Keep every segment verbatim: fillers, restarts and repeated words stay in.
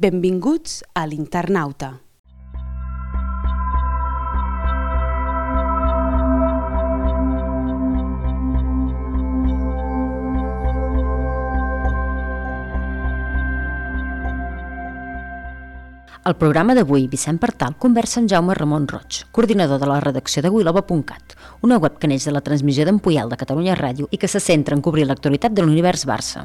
Benvinguts a l'Internauta. Al programa d'avui, Vicent Partal conversa amb Jaume Ramon Roig, coordinador de la redacció de Wilova punt cat, una web que neix de la transmissió d'en Puyal de Catalunya Ràdio i que se centra en cobrir l'actualitat de l'univers Barça.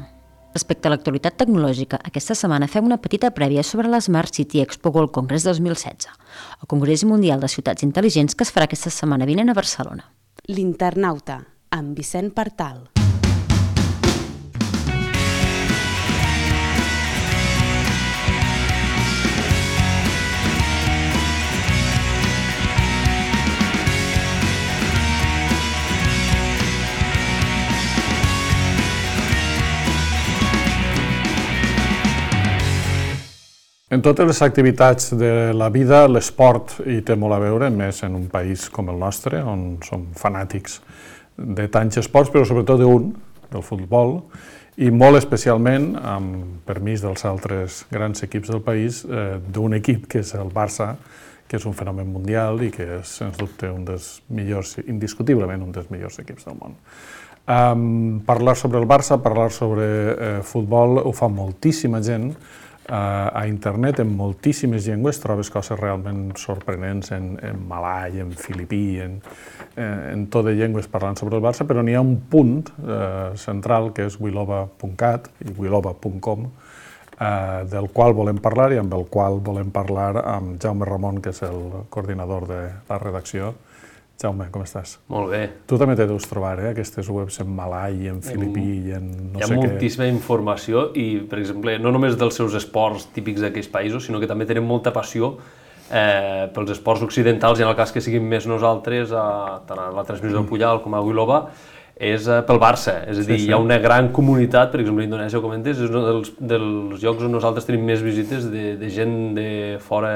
Respecte a l'actualitat tecnològica, aquesta setmana fem una petita prèvia sobre la Smart City Expo World Congress dos mil setze, el Congrés Mundial de Ciutats Intel·ligents que es farà aquesta setmana vinent a Barcelona. L'Internauta, amb Vicent Partal. En totes les activitats de la vida, l'esport hi té molt a veure, més en un país com el nostre, on som fanàtics de tants esports, però sobretot d'un, del futbol, i molt especialment, amb permís dels altres grans equips del país, eh, d'un equip que és el Barça, que és un fenomen mundial i que és, sens dubte, un dels millors, indiscutiblement un dels millors equips del món. Um, parlar sobre el Barça, parlar sobre eh, futbol, ho fa moltíssima gent, a internet, en moltíssimes llengües, trobes coses realment sorprenents en, en malai, en filipí, en, en tot de llengües parlant sobre el Barça, però n'hi ha un punt eh, central que és wilova punt cat i wilova punt com, eh, del qual volem parlar i amb el qual volem parlar amb Jaume Ramon, que és el coordinador de la redacció. Jaume, com estàs? Molt bé. Tu també te deus trobar, eh, aquestes webs en malai, en filipí i en no sé què. Hi ha moltíssima informació i, per exemple, no només dels seus esports típics d'aquells països, sinó que també tenen molta passió eh, pels esports occidentals i en el cas que siguin més nosaltres, a, tant a la transmissió del Puyal com a Wilova, és eh, pel Barça. És a dir, sí, sí. Hi ha una gran comunitat, per exemple, Indonèsia, ho comentes, és un dels, dels llocs on nosaltres tenim més visites de, de gent de fora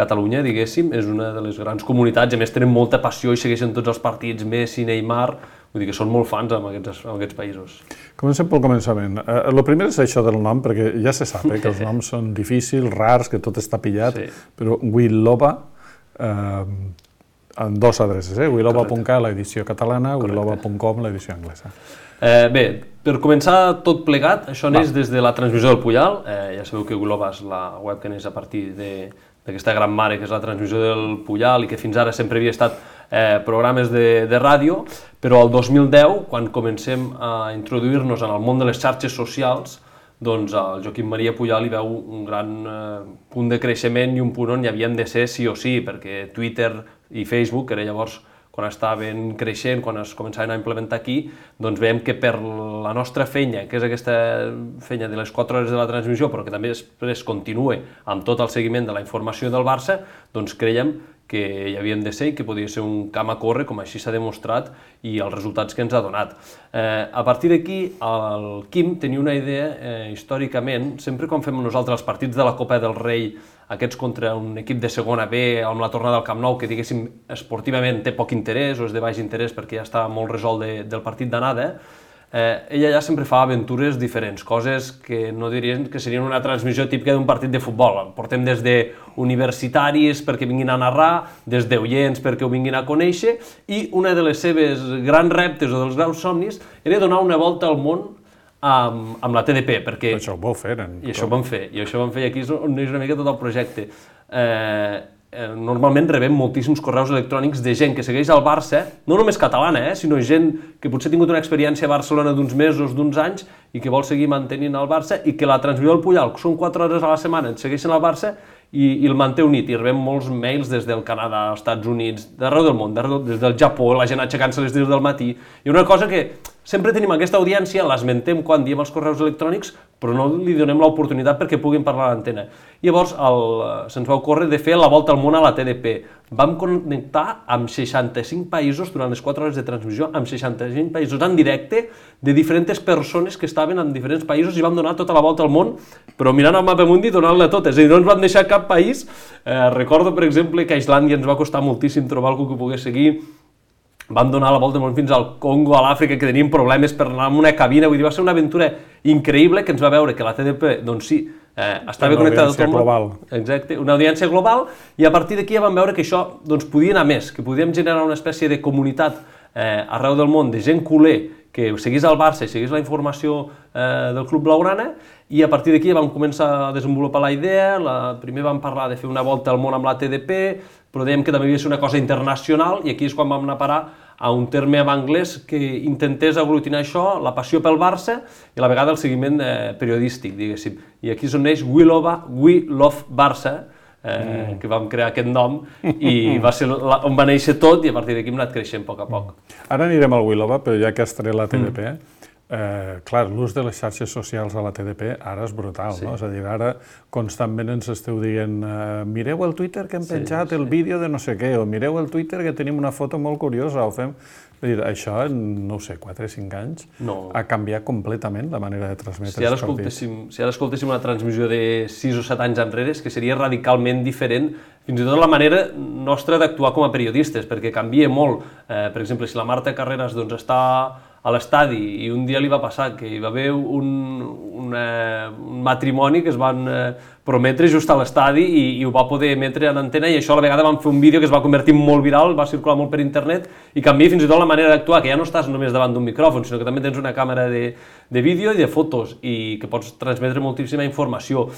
Catalunya, diguéssim, és una de les grans comunitats, a més tenen molta passió i segueixen tots els partits, Messi, Neymar, vull dir que són molt fans en aquests, en aquests països. Comencem pel començament. El eh, primer és això del nom, perquè ja se sap eh, que els noms són difícils, rars, que tot està pillat, sí. Però Wilova, eh, en dos adreces, eh? wilova punt cat, l'edició catalana, wilova punt com, l'edició anglesa. Eh, bé, per començar tot plegat, això neix des de la transmissió del Puyal, eh, ja sabeu que Wilova és la web que neix a partir de d'aquesta gran mare que és la transmissió del Puyal i que fins ara sempre havia estat eh, programes de, de ràdio, però el dos mil deu, quan comencem a introduir-nos en el món de les xarxes socials, doncs el Joaquim Maria Puyal hi veu un gran eh, punt de creixement i un punt on hi havien de ser sí o sí, perquè Twitter i Facebook, que era llavors quan estaven creixent, quan es començaven a implementar aquí, doncs veiem que per la nostra feina, que és aquesta feina de les quatre hores de la transmissió, però que també després continua amb tot el seguiment de la informació del Barça, doncs creiem que hi havíem de ser i que podia ser un camp a córrer, com així s'ha demostrat, i els resultats que ens ha donat. Eh, a partir d'aquí, el Quim tenia una idea, eh, històricament, sempre quan fem nosaltres els partits de la Copa del Rei, aquests contra un equip de segona B, amb la tornada al Camp Nou, que diguéssim esportivament té poc interès o és de baix interès perquè ja està molt resolt de, del partit d'anada, eh, ella ja sempre fa aventures diferents, coses que no dirien que serien una transmissió típica d'un partit de futbol. Portem des de universitaris perquè vinguin a narrar, des d'oients perquè ho vinguin a conèixer, i una de les seves grans reptes o dels grans somnis era donar una volta al món amb, amb la T D P, perquè... Això ho vau fer, en I això ho vam fer, i això ho vam fer, i aquí és on és una mica tot el projecte. Eh, normalment rebem moltíssims correus electrònics de gent que segueix el Barça, no només catalana, eh, sinó gent que potser ha tingut una experiència a Barcelona d'uns mesos, d'uns anys, i que vol seguir mantenint el Barça, i que la transmissió del Puyal, que són quatre hores a la setmana, et segueixen el Barça, i, i el manté unit, i rebem molts mails des del Canadà, als Estats Units, d'arreu del món, des del Japó, la gent aixecant-se les deu del matí, i una cosa que sempre tenim aquesta audiència, l'esmentem quan diem els correus electrònics, però no li donem l'oportunitat perquè puguin parlar a l'antena. Llavors se'ns va ocórrer de fer la volta al món a la T D P. Vam connectar amb seixanta-cinc països durant les quatre hores de transmissió, amb seixanta-cinc països en directe, de diferents persones que estaven en diferents països i vam donar tota la volta al món, però mirant el mapa mundi i donant-la totes, és a dir, no ens vam deixar cap país. Eh, recordo, per exemple, que a Islàndia ens va costar moltíssim trobar algú que pogués seguir. Vam donar la volta fins al Congo, a l'Àfrica, que teníem problemes per anar en una cabina, vull dir, va ser una aventura increïble que ens va veure que la T D P, doncs sí, Eh, estava connectat a tot el global. món. Exacte, una audiència global, i a partir d'aquí ja vam veure que això doncs, podia anar més, que podíem generar una espècie de comunitat eh, arreu del món de gent culer que seguís el Barça i seguís la informació eh, del Club Blaugrana, i a partir d'aquí vam començar a desenvolupar la idea. La, primer vam parlar de fer una volta al món amb la T D P, però dèiem que també havia de ser una cosa internacional, i aquí és quan vam anar a parar a un terme en anglès que intentés aglutinar això, la passió pel Barça i a la vegada el seguiment eh, periodístic, diguéssim. I aquí és on neix We Love, We Love Barça, eh, mm. que vam crear aquest nom, i va ser la, on va néixer tot, i a partir d'aquí hem anat creixent a poc a poc. Ara anirem al We Love, però ja que has tret la T D P, mm. Eh, clar, l'ús de les xarxes socials a la T D P ara és brutal, sí. no? És a dir, ara constantment ens esteu dient eh, mireu el Twitter que hem sí, penjat sí. el vídeo de no sé què, o mireu el Twitter que tenim una foto molt curiosa, o fem... És dir, això en, no ho sé, quatre o cinc anys no. ha canviat completament la manera de transmetre si ara els partits. Si ara escoltéssim una transmissió de sis o set anys enrere, és que seria radicalment diferent, fins i tot la manera nostra d'actuar com a periodistes, perquè canvia molt. Eh, per exemple, si la Marta Carreras doncs, està a l'estadi i un dia li va passar que hi va haver un, un, eh, un matrimoni que es van eh, prometre just a l'estadi i, i ho va poder emetre en antena, i això a la vegada van fer un vídeo que es va convertir en molt viral, va circular molt per internet i canvia fins i tot la manera d'actuar, que ja no estàs només davant d'un micròfon, sinó que també tens una càmera de, de vídeo i de fotos i que pots transmetre moltíssima informació.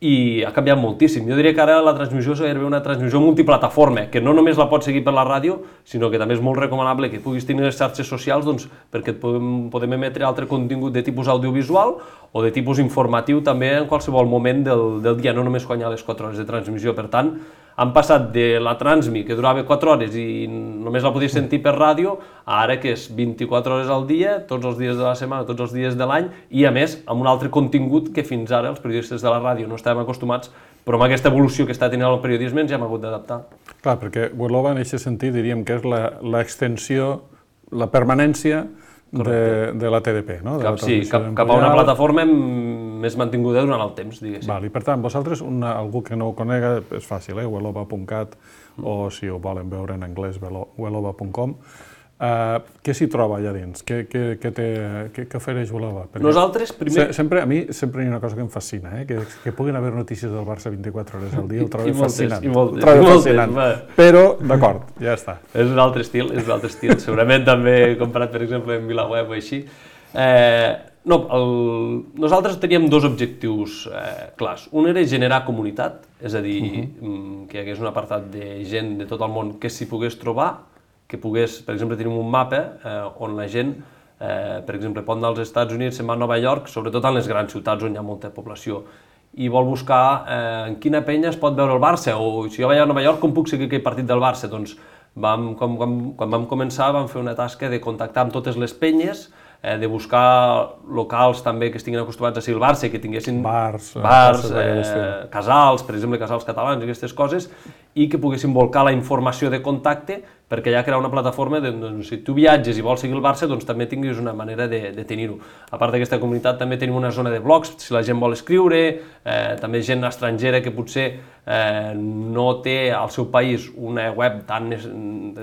I ha canviat moltíssim. Jo diria que ara la transmissió és gairebé una transmissió multiplataforma, que no només la pots seguir per la ràdio, sinó que també és molt recomanable que puguis tenir les xarxes socials doncs, perquè et podem, podem emetre altre contingut de tipus audiovisual o de tipus informatiu també en qualsevol moment del, del dia, no només quan hi ha les quatre hores de transmissió. Per tant, han passat de la Transmi, que durava quatre hores i només la podies sentir per ràdio, a ara que és vint-i-quatre hores al dia, tots els dies de la setmana, tots els dies de l'any, i a més amb un altre contingut que fins ara els periodistes de la ràdio no estàvem acostumats, però amb aquesta evolució que està tenint el periodisme ens hi hem hagut d'adaptar. Clar, perquè We Love en aquest sentit diríem que és l'extensió, la permanència de, de la T D P, no? De cap, sí, cap, cap a una plataforma més mantinguda durant el temps, diguéssim. Val, i per tant, vosaltres, una, algú que no ho conega, és fàcil, eh? we love punt cat, mm. o si ho volen veure en anglès, we love punt com. Uh, què s'hi troba allà dins? Què, què, què, té, què, què ofereix We Love? Perquè Nosaltres, primer... Se, sempre, a mi sempre hi ha una cosa que em fascina, eh? que, que puguin haver notícies del Barça vint-i-quatre hores al dia, ho trobo fascinant. I moltes, ho trobo i moltes, fascinant. moltes, Però, d'acord, ja està. És un altre estil, és un altre estil. Segurament també comparat, per exemple, amb VilaWeb o així. Eh, no, el... Nosaltres teníem dos objectius eh, clars. Un era generar comunitat, és a dir, uh-huh. que hi hagués un apartat de gent de tot el món que s'hi pogués trobar, que pogués, per exemple, tenim un mapa eh, on la gent, eh, per exemple, pot anar als Estats Units, se'n va a Nova York, sobretot en les grans ciutats on hi ha molta població, i vol buscar eh, en quina penya es pot veure el Barça, o si jo vaig a Nova York, com puc seguir aquell partit del Barça? Doncs vam, com, com, quan vam començar vam fer una tasca de contactar amb totes les penyes, eh, de buscar locals també que estiguin acostumats a seguir el Barça, que tinguessin bars, bars eh, casals, per exemple, casals catalans, aquestes coses, i que poguessin volcar la informació de contacte perquè ja crear una plataforma de, doncs, si tu viatges i vols seguir el Barça, doncs també tinguis una manera de, de tenir-ho. A part d'aquesta comunitat també tenim una zona de blogs, si la gent vol escriure, eh, també gent estrangera que potser eh, no té al seu país una web tan,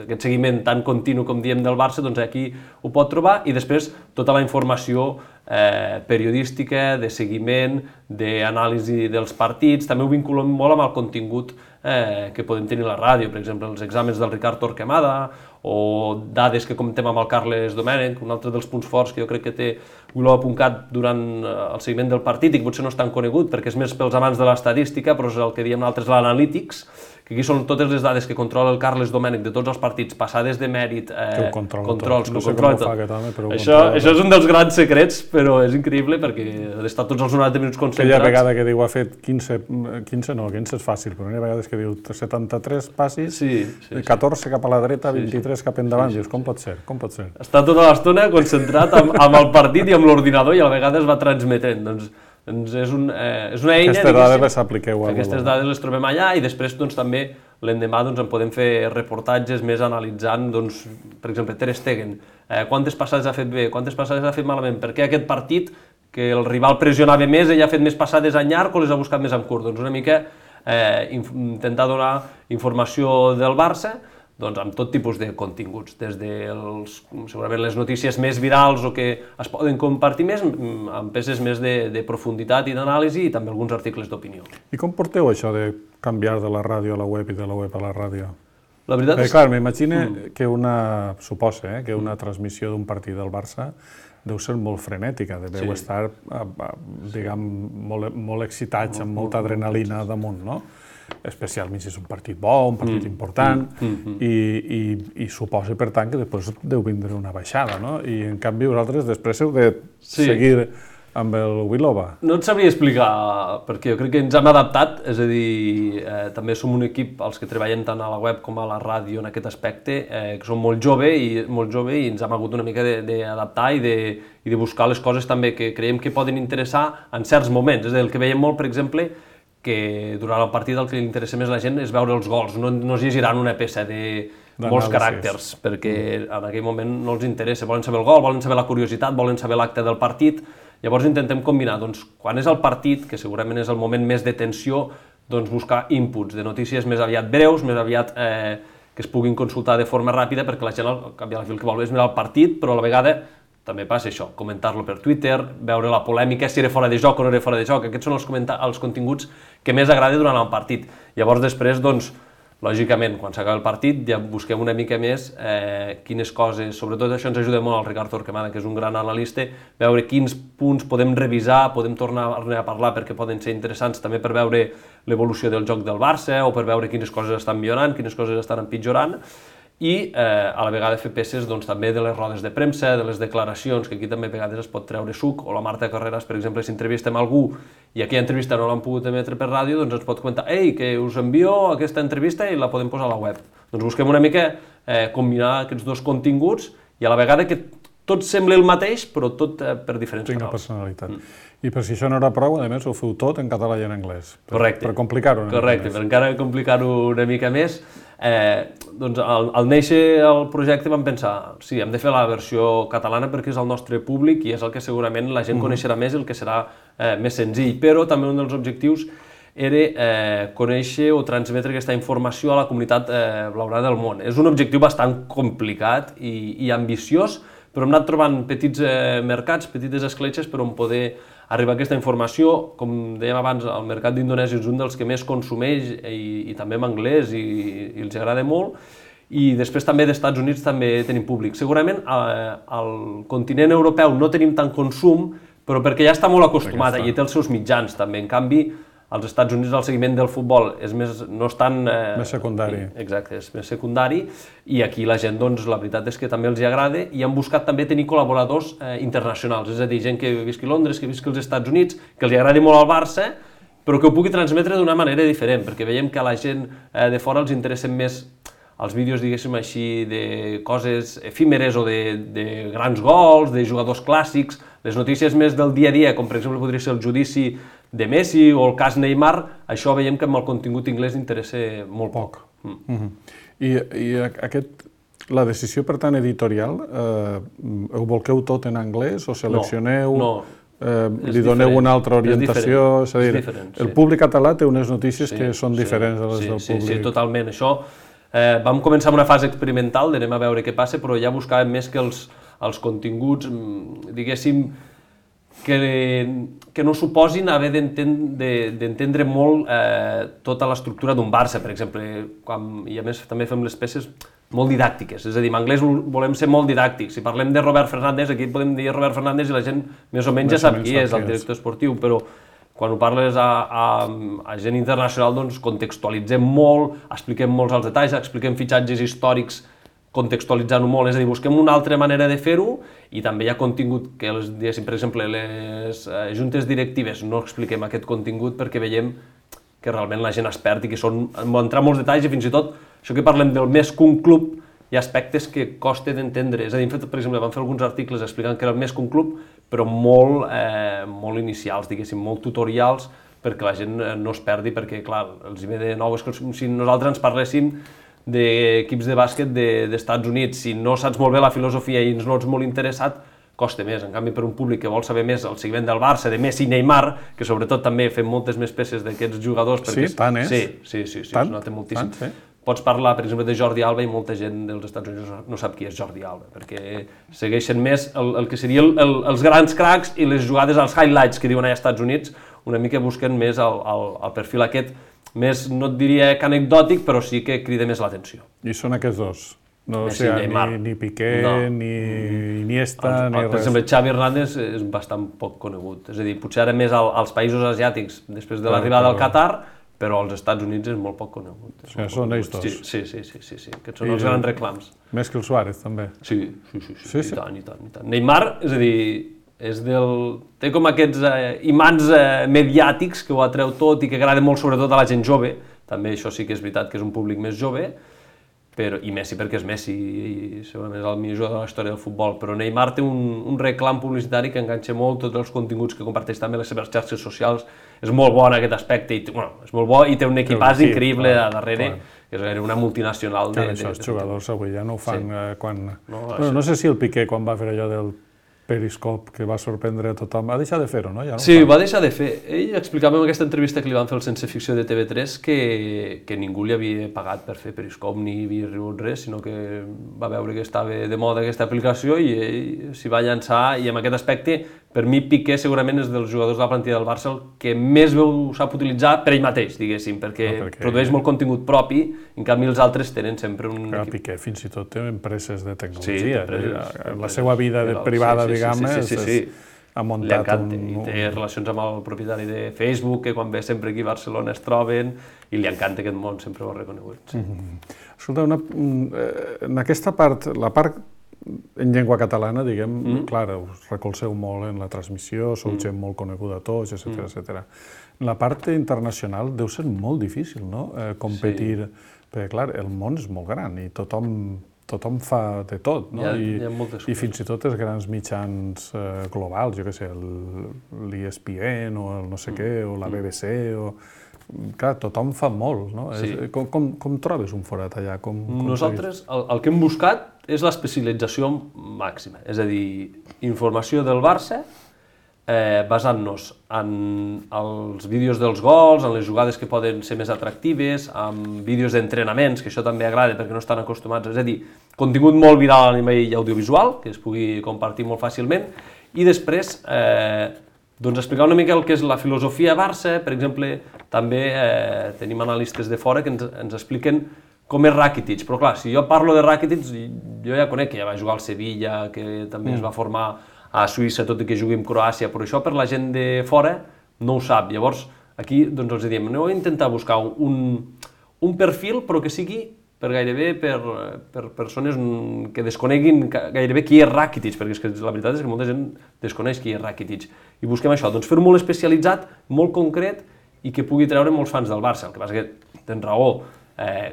aquest seguiment tan continu com diem del Barça, doncs aquí ho pot trobar, i després tota la informació eh, periodística, de seguiment, d'anàlisi dels partits, també ho vinculem molt amb el contingut Eh, que podem tenir a la ràdio, per exemple, els exàmens del Ricard Torquemada o dades que comentem amb el Carles Domènech, un altre dels punts forts que jo crec que té we love punt cat durant el seguiment del partit i que potser no és tan conegut perquè és més pels amants de l'estadística, però és el que diem nosaltres l'analítics, que aquí són totes les dades que controla el Carles Domènech de tots els partits, passades de mèrit, eh, controls, no que ho controla tot. Home, però això, això és un dels grans secrets, però és increïble perquè ha d'estar tots els noranta minuts concentrats. Aquella vegada que diu ha fet quinze, quinze no, quinze és fàcil, però hi ha vegades que diu setanta-tres passis, sí, sí, catorze cap a la dreta, sí, vint-i-tres cap endavant, sí, sí, dius, com pot ser? Com pot ser? Està tota l'estona concentrat amb, amb el partit i amb l'ordinador i a la vegada es va transmetent, doncs Doncs és, un, eh, és una eina... Aquestes dades les apliqueu a Aquestes dades les trobem allà i després doncs, també l'endemà doncs, en podem fer reportatges més analitzant, doncs, per exemple, Ter Stegen, eh, quantes passades ha fet bé, quantes passades ha fet malament, per què aquest partit, que el rival pressionava més, ell ha fet més passades en llarg o les ha buscat més en curt. Doncs una mica eh, intentar donar informació del Barça, doncs, amb tot tipus de continguts, des de els, segurament les notícies més virals o que es poden compartir més, amb peces més de, de profunditat i d'anàlisi i també alguns articles d'opinió. I com porteu això de canviar de la ràdio a la web i de la web a la ràdio? La veritat és... Clar, m'imagino mm. que una, suposa, eh, que una transmissió d'un partit del Barça deu ser molt frenètica, deveu sí. estar, diguem, molt, molt excitats, amb molta adrenalina damunt, no? Especialment si és un partit bo, un partit mm, important, mm, mm, i, i, i suposa, per tant, que després deu vindre una baixada, no? I, en canvi, vosaltres després heu de sí. seguir amb el Wilova. No et sabria explicar, perquè jo crec que ens hem adaptat, és a dir, eh, també som un equip, els que treballen tant a la web com a la ràdio en aquest aspecte, eh, que som molt jove i, molt jove i ens hem hagut una mica d'adaptar i, de, i de buscar les coses també que creiem que poden interessar en certs moments. És a dir, el que veiem molt, per exemple, que durant el partit el que li interessa més a la gent és veure els gols, no, no es llegiran una peça de molts caràcters, perquè en aquell moment no els interessa, volen saber el gol, volen saber la curiositat, volen saber l'acte del partit, llavors intentem combinar, doncs, quan és el partit, que segurament és el moment més de tensió, doncs buscar inputs de notícies més aviat breus, més aviat eh, que es puguin consultar de forma ràpida, perquè la gent al cap i a la fi el que vol és mirar el partit, però a la vegada també passa això, comentar-lo per Twitter, veure la polèmica, si era fora de joc o no era fora de joc. Aquests són els, els continguts que més agrada durant el partit. Llavors, després, doncs, lògicament, quan s'acaba el partit, ja busquem una mica més eh, quines coses, sobretot això ens ajuda molt el Ricard Torquemada, que és un gran analista, veure quins punts podem revisar, podem tornar a parlar perquè poden ser interessants també per veure l'evolució del joc del Barça o per veure quines coses estan millorant, quines coses estan empitjorant, i eh, a la vegada fer peces doncs, també de les rodes de premsa, de les declaracions, que aquí també a vegades es pot treure suc, o la Marta Carreras, per exemple, si entrevistem algú i aquella entrevista no l'han pogut emetre per ràdio, doncs ens pot comentar «Ei, que us envio aquesta entrevista i la podem posar a la web». Doncs busquem una mica eh, combinar aquests dos continguts i a la vegada que tot sembla el mateix, però tot eh, per diferents canals. Tinc personalitat. Mm. I per si això no era prou, a més, ho feu tot en català i en anglès. Per, Correcte. Per complicar-ho una Correcte, per encara complicar-ho una mica més. Eh, doncs al, al néixer el projecte vam pensar, sí, hem de fer la versió catalana perquè és el nostre públic i és el que segurament la gent mm. coneixerà més i el que serà eh, més senzill, però també un dels objectius era eh, conèixer o transmetre aquesta informació a la comunitat eh, blaugrana del món. És un objectiu bastant complicat i, i ambiciós, però hem anat trobant petits eh, mercats, petites escletxes per on poder arribar a aquesta informació. Com dèiem abans, el mercat d'Indonèsia és un dels que més consumeix i, i també en anglès i, i els agrada molt. I després també d'Estats Units també tenim públic. Segurament eh, al continent europeu no tenim tant consum, però perquè ja està molt acostumat, i té els seus mitjans també. En canvi, als Estats Units el seguiment del futbol és més, no és tan... Eh, més secundari. Exacte, és més secundari, i aquí la gent, doncs, la veritat és que també els hi agrada, i han buscat també tenir col·laboradors eh, internacionals, és a dir, gent que visqui a Londres, que visqui als Estats Units, que els hi agradi molt al Barça, però que ho pugui transmetre d'una manera diferent, perquè veiem que a la gent eh, de fora els interessen més els vídeos, diguéssim així, de coses efímeres o de, de grans gols, de jugadors clàssics, les notícies més del dia a dia, com per exemple podria ser el judici de Messi o el cas Neymar, això veiem que amb el contingut anglès interessa molt poc. Mm. Mm-hmm. I, I aquest, la decisió, per tant, editorial, eh, ho volqueu tot en anglès o seleccioneu... No, no. Eh, li doneu una altra orientació? És, és a dir, és diferent, el sí. públic català té unes notícies sí, que són sí, diferents de les sí, del sí, públic. Sí, totalment. Això, eh, vam començar amb una fase experimental, d'anem a veure què passa, però ja buscàvem més que els, els continguts, diguéssim, que, que no suposin haver d'entendre molt eh, tota l'estructura d'un Barça, per exemple, quan, i a més també fem les peces molt didàctiques, és a dir, en anglès volem ser molt didàctics. Si parlem de Robert Fernández, aquí podem dir Robert Fernández i la gent més o menys ja sap qui és, el director esportiu, però quan ho parles a, a, a gent internacional, doncs contextualitzem molt, expliquem molts els detalls, expliquem fitxatges històrics contextualitzant-ho molt, és a dir, busquem una altra manera de fer-ho, i també hi ha contingut que, les, diguéssim, per exemple, les eh, juntes directives no expliquem aquest contingut perquè veiem que realment la gent es perd i que són, entrar molts detalls, i fins i tot això que parlem del més que un club, hi ha aspectes que costa d'entendre. És a dir, per exemple, vam fer alguns articles explicant que era el més que un club, però molt, eh, molt inicials, diguéssim, molt tutorials, perquè la gent no es perdi, perquè, clar, els hi ve de nou, és com si nosaltres ens parléssim d'equips de bàsquet d'Estats Units. Si no saps molt bé la filosofia i no ets molt interessat, costa més. En canvi, per un públic que vol saber més el seguiment del Barça, de Messi i Neymar, que sobretot també fem moltes més peces d'aquests jugadors. Sí, tant és. Sí, sí, sí, sí, tant, es nota moltíssim. Tant, sí. pots parlar, per exemple, de Jordi Alba i molta gent dels Estats Units no sap qui és Jordi Alba, perquè segueixen més el, el que serien el, els grans cracs i les jugades als highlights que diuen als Estats Units, una mica busquen més el, el, el perfil aquest, més, no et diria que anecdòtic, però sí que crida més l'atenció. I són aquests dos? No, o Messi, sigui, Neymar. ni, ni Piqué, No. ni Iniesta, El, ni el, per res. exemple, Xavi Hernández és bastant poc conegut, és a dir, potser ara més al, als països asiàtics després de Clar, l'arribada però- al Qatar, però als Estats Units és molt poc conegut. És O sigui, molt són poc ells conegut. dos. Sí, sí, sí, sí, sí, aquests són I- els grans reclams. Més que el Suárez, també. Sí, sí, sí, sí, Sí, sí. i tant, i tant, i tant. Neymar, és a dir, és del... té com aquests eh, imants eh, mediàtics que ho atreu tot i que agrada molt sobretot a la gent jove, també això sí que és veritat que és un públic més jove, però, i Messi perquè és Messi i segurament és el millor jugador de la història del futbol, però Neymar té un, un reclam publicitari que enganxa molt tots els continguts que comparteix també les seves xarxes socials, és molt bo en aquest aspecte, i té, bueno, és molt bo i té un equipàs equip, increïble clar, a darrere, clar. que és gairebé una multinacional de... Clar, de, això, de, els de jugadors avui ja no ho fan Sí. eh, quan... No, bueno, no sé si el Piqué, quan va fer allò del Periscope, que va sorprendre a tothom, ha deixat de fer-ho, no? Ja no ho Sí, fa. ho va deixar de fer. Ell explicava en aquesta entrevista que li van fer al Sense Ficció de T V tres que, que ningú li havia pagat per fer Periscope ni havia rebut res, sinó que va veure que estava de moda aquesta aplicació i ell s'hi va llançar, i en aquest aspecte, per mi Piqué segurament és dels jugadors de la plantilla del Barça el que més veu sap utilitzar per ell mateix, diguéssim, perquè, No, perquè- produeix molt contingut propi, en canvi els altres tenen sempre un... Clar, equip- Piqué fins i tot té empreses de Sí, tecnologia. empreses, Eh, la empreses. seva vida de Sí, privada, sí, sí, diguem, sí, sí, sí, sí. és- ha Li muntat encanta, un... i té relacions amb el propietari de Facebook, que quan ve sempre aquí a Barcelona es troben, i li encanta aquest món, sempre ho ha reconegut. Sí. Escolta, una, mm, eh, en aquesta part, la part en llengua catalana, diguem, mm. clar, us recolzeu molt en la transmissió, sou mm. gent molt coneguda a tots, etcètera, Mm. etcètera. En la part internacional deu ser molt difícil, no?, eh, competir, sí. perquè, clar, el món és molt gran i tothom, tothom fa de tot, no? Hi ha- I, hi ha moltes I coses. fins i tot els grans mitjans eh, globals, jo què sé, l'E S P N o el no sé Mm. què, o la B B C, o... Clar, tothom fa molt, no? Sí. És, com, com, com trobes un forat allà? Com, com Nosaltres el, el que hem buscat és l'especialització màxima, és a dir, informació del Barça, eh, basant-nos en els vídeos dels gols, en les jugades que poden ser més atractives, en vídeos d'entrenaments, que això també agrada perquè no estan acostumats, és a dir, contingut molt viral a nivell audiovisual, que es pugui compartir molt fàcilment, i després eh, doncs explicar una mica el que és la filosofia Barça. Per exemple, també eh, tenim analistes de fora que ens, ens expliquen com és Rakitic, però clar, si jo parlo de Rakitic, jo ja conec que ja va jugar al Sevilla, que també mm. es va formar a Suïssa, tot i que jugui amb Croàcia, però això per la gent de fora no ho sap. Llavors, aquí doncs els diem, aneu a intentar buscar un, un perfil, però que sigui per gairebé per, per persones que desconeguin gairebé qui és Rakitic, perquè és que la veritat és que molta gent desconeix qui és Rakitic. I busquem això, doncs fer-ho molt especialitzat, molt concret, i que pugui treure molts fans del Barça. El que passa que tens raó, eh,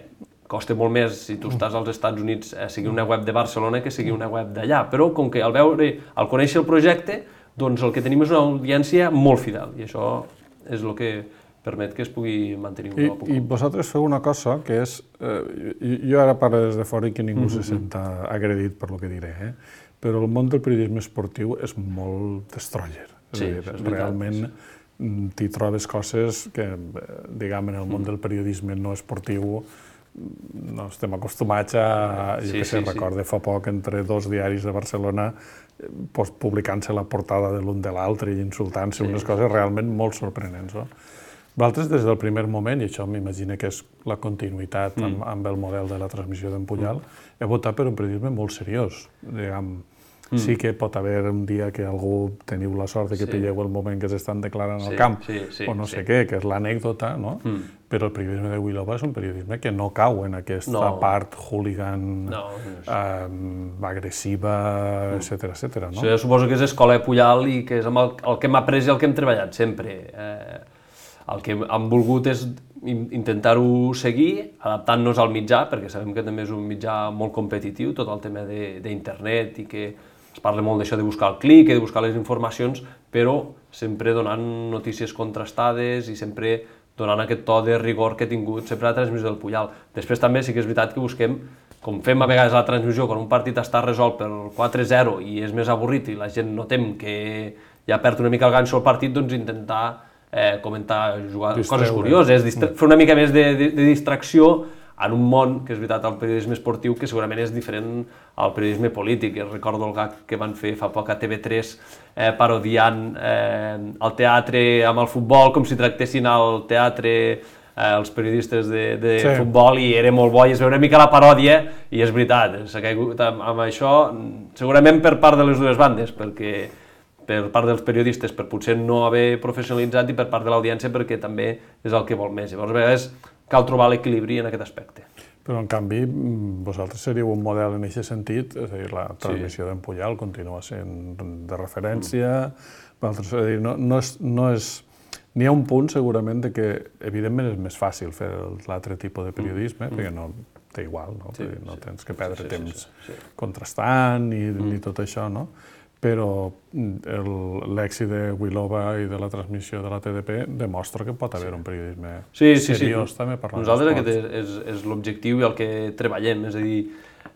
costa molt més si tu estàs als Estats Units a seguir una web de Barcelona que seguir una web d'allà, però com que al veure, al conèixer el projecte, doncs el que tenim és una audiència molt fidel, i això és el que permet que es pugui mantenir un I, poc a poc. I vosaltres feu una cosa que és... Eh, jo ara parlo des de fora i que ningú mm-hmm. se senta agredit per lo que diré, eh? Però el món del periodisme esportiu és molt destroyer. És Sí, a dir, això és veritat, realment t'hi trobes coses que, diguem, en el món del periodisme no esportiu no estem acostumats a... Jo Sí, què sé, sí, sí. recorde fa poc entre dos diaris de Barcelona pues, publicant-se la portada de l'un de l'altre i insultant-se, Sí. unes coses realment molt sorprenents. No? Vosaltres, des del primer moment, i això m'imagino que és la continuïtat amb, Mm. amb el model de la transmissió d'en Pujal, mm. heu votat per un periodisme molt seriós. Diguem, mm. Sí que pot haver un dia que algú teniu la sort de que Sí. pilleu el moment que s'estan declarant Sí, al camp, sí, sí, o no sí. sé què, que és l'anècdota, no? Mm. Però el periodisme de Wilova és un periodisme que no cau en aquesta No. part hooligan, No, eh, agressiva, Mm. etcètera, etcètera, no? Això jo suposo que és escola de Pujal i que és amb el, el que hem après i el que hem treballat sempre. Eh, el que hem volgut és in- intentar-ho seguir, adaptant-nos al mitjà, perquè sabem que també és un mitjà molt competitiu, tot el tema de- d'internet i que es parla molt d'això de buscar el clic i de buscar les informacions, però sempre donant notícies contrastades i sempre donant aquest to de rigor que ha tingut sempre la transmissió del Pujal. Després també sí que és veritat que busquem, com fem a vegades a la transmissió, quan un partit està resolt per quatre zero i és més avorrit i la gent notem que ja perd una mica el ganxo al partit, doncs intentar eh, comentar jugar, coses Distreure. curioses, distra- fer una mica més de, de, de distracció en un món, que és veritat, el periodisme esportiu, que segurament és diferent al periodisme polític. Jo recordo el gag que van fer fa poc a T V tres eh, parodiant eh, el teatre amb el futbol, com si tractessin el teatre eh, els periodistes de, de sí. futbol, i era molt bo, i es veu una mica la paròdia, i és veritat, s'ha caigut amb, amb això, segurament per part de les dues bandes, perquè per part dels periodistes per potser no haver professionalitzat, i per part de l'audiència perquè també és el que vol més. Llavors, a vegades, cal trobar l'equilibri en aquest aspecte. Però, en canvi, vosaltres seríeu un model en aquest sentit, és a dir, la transmissió sí. d'en Pujal continua sent de referència, mm. vosaltres, és a dir, no, no és... No és n'hi ha un punt, segurament, de que, evidentment, és més fàcil fer l'altre tipus de periodisme, mm. perquè no té igual, no, sí, no sí. tens que perdre sí, sí, temps sí, sí, sí. contrastant i, mm. i tot això, no? Però l'èxit de Wilova i de la transmissió de la T D P demostra que pot haver sí. un periodisme sí, sí, seriós sí. també per nosaltres aquest és, és, és l'objectiu i el que treballem, és a dir,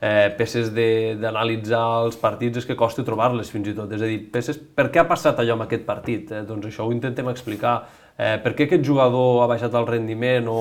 eh, peces d'analitzar els partits és que costa trobar-les fins i tot, és a dir, peces, per què ha passat allò amb aquest partit? Eh? Doncs això ho intentem explicar, eh, per què aquest jugador ha baixat el rendiment o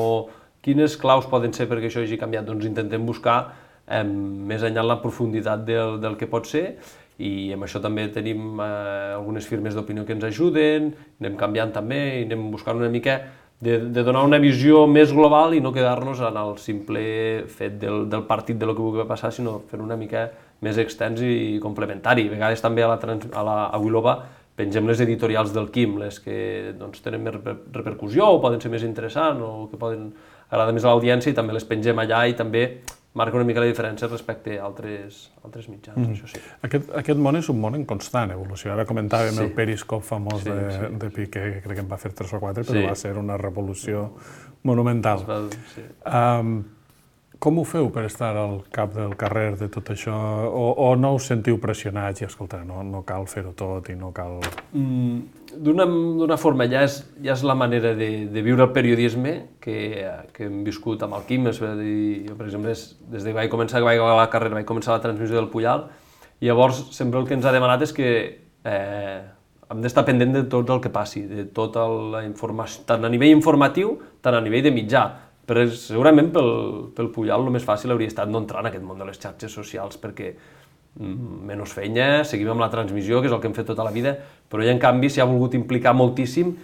quines claus poden ser perquè això hagi canviat, doncs intentem buscar eh, més enllà en la profunditat del, del que pot ser, i amb això també tenim eh, algunes firmes d'opinió que ens ajuden, anem canviant també i anem buscant una mica de, de donar una visió més global i no quedar-nos en el simple fet del, del partit de lo que pugui passar, sinó fer una mica més extens i complementari. A vegades també a la, trans, a la a Wilova pengem les editorials del Quim, les que doncs, tenen més repercussió o poden ser més interessants o que poden agradar més a l'audiència, i també les pengem allà i també marca una mica la diferència respecte a altres, altres mitjans, mm. això sí. Aquest, aquest món és un món en constant evolució. Ara comentàvem sí. el Periscope famós sí, de, sí. de Piqué, que crec que en va fer tres o quatre, però sí. va ser una revolució monumental. Va, sí. um, com ho feu per estar al cap del carrer de tot això? O, o no us sentiu pressionats i, escolta, no, no cal fer-ho tot i no cal... Mm. D'una forma, ja és, ja és la manera de, de viure el periodisme que, que hem viscut amb el Quim. És dir, jo, per exemple, és, des que vaig començar que vaig a la carrera, vaig començar la transmissió del Pujal, i llavors sempre el que ens ha demanat és que eh, hem d'estar pendent de tot el que passi, de tota la informació, tant a nivell informatiu, tant a nivell de mitjà. Però segurament pel, pel Pujal el més fàcil hauria estat no entrar en aquest món de les xarxes socials, perquè menys feina, seguim amb la transmissió, que és el que hem fet tota la vida, però ell, en canvi, s'hi ha volgut implicar moltíssim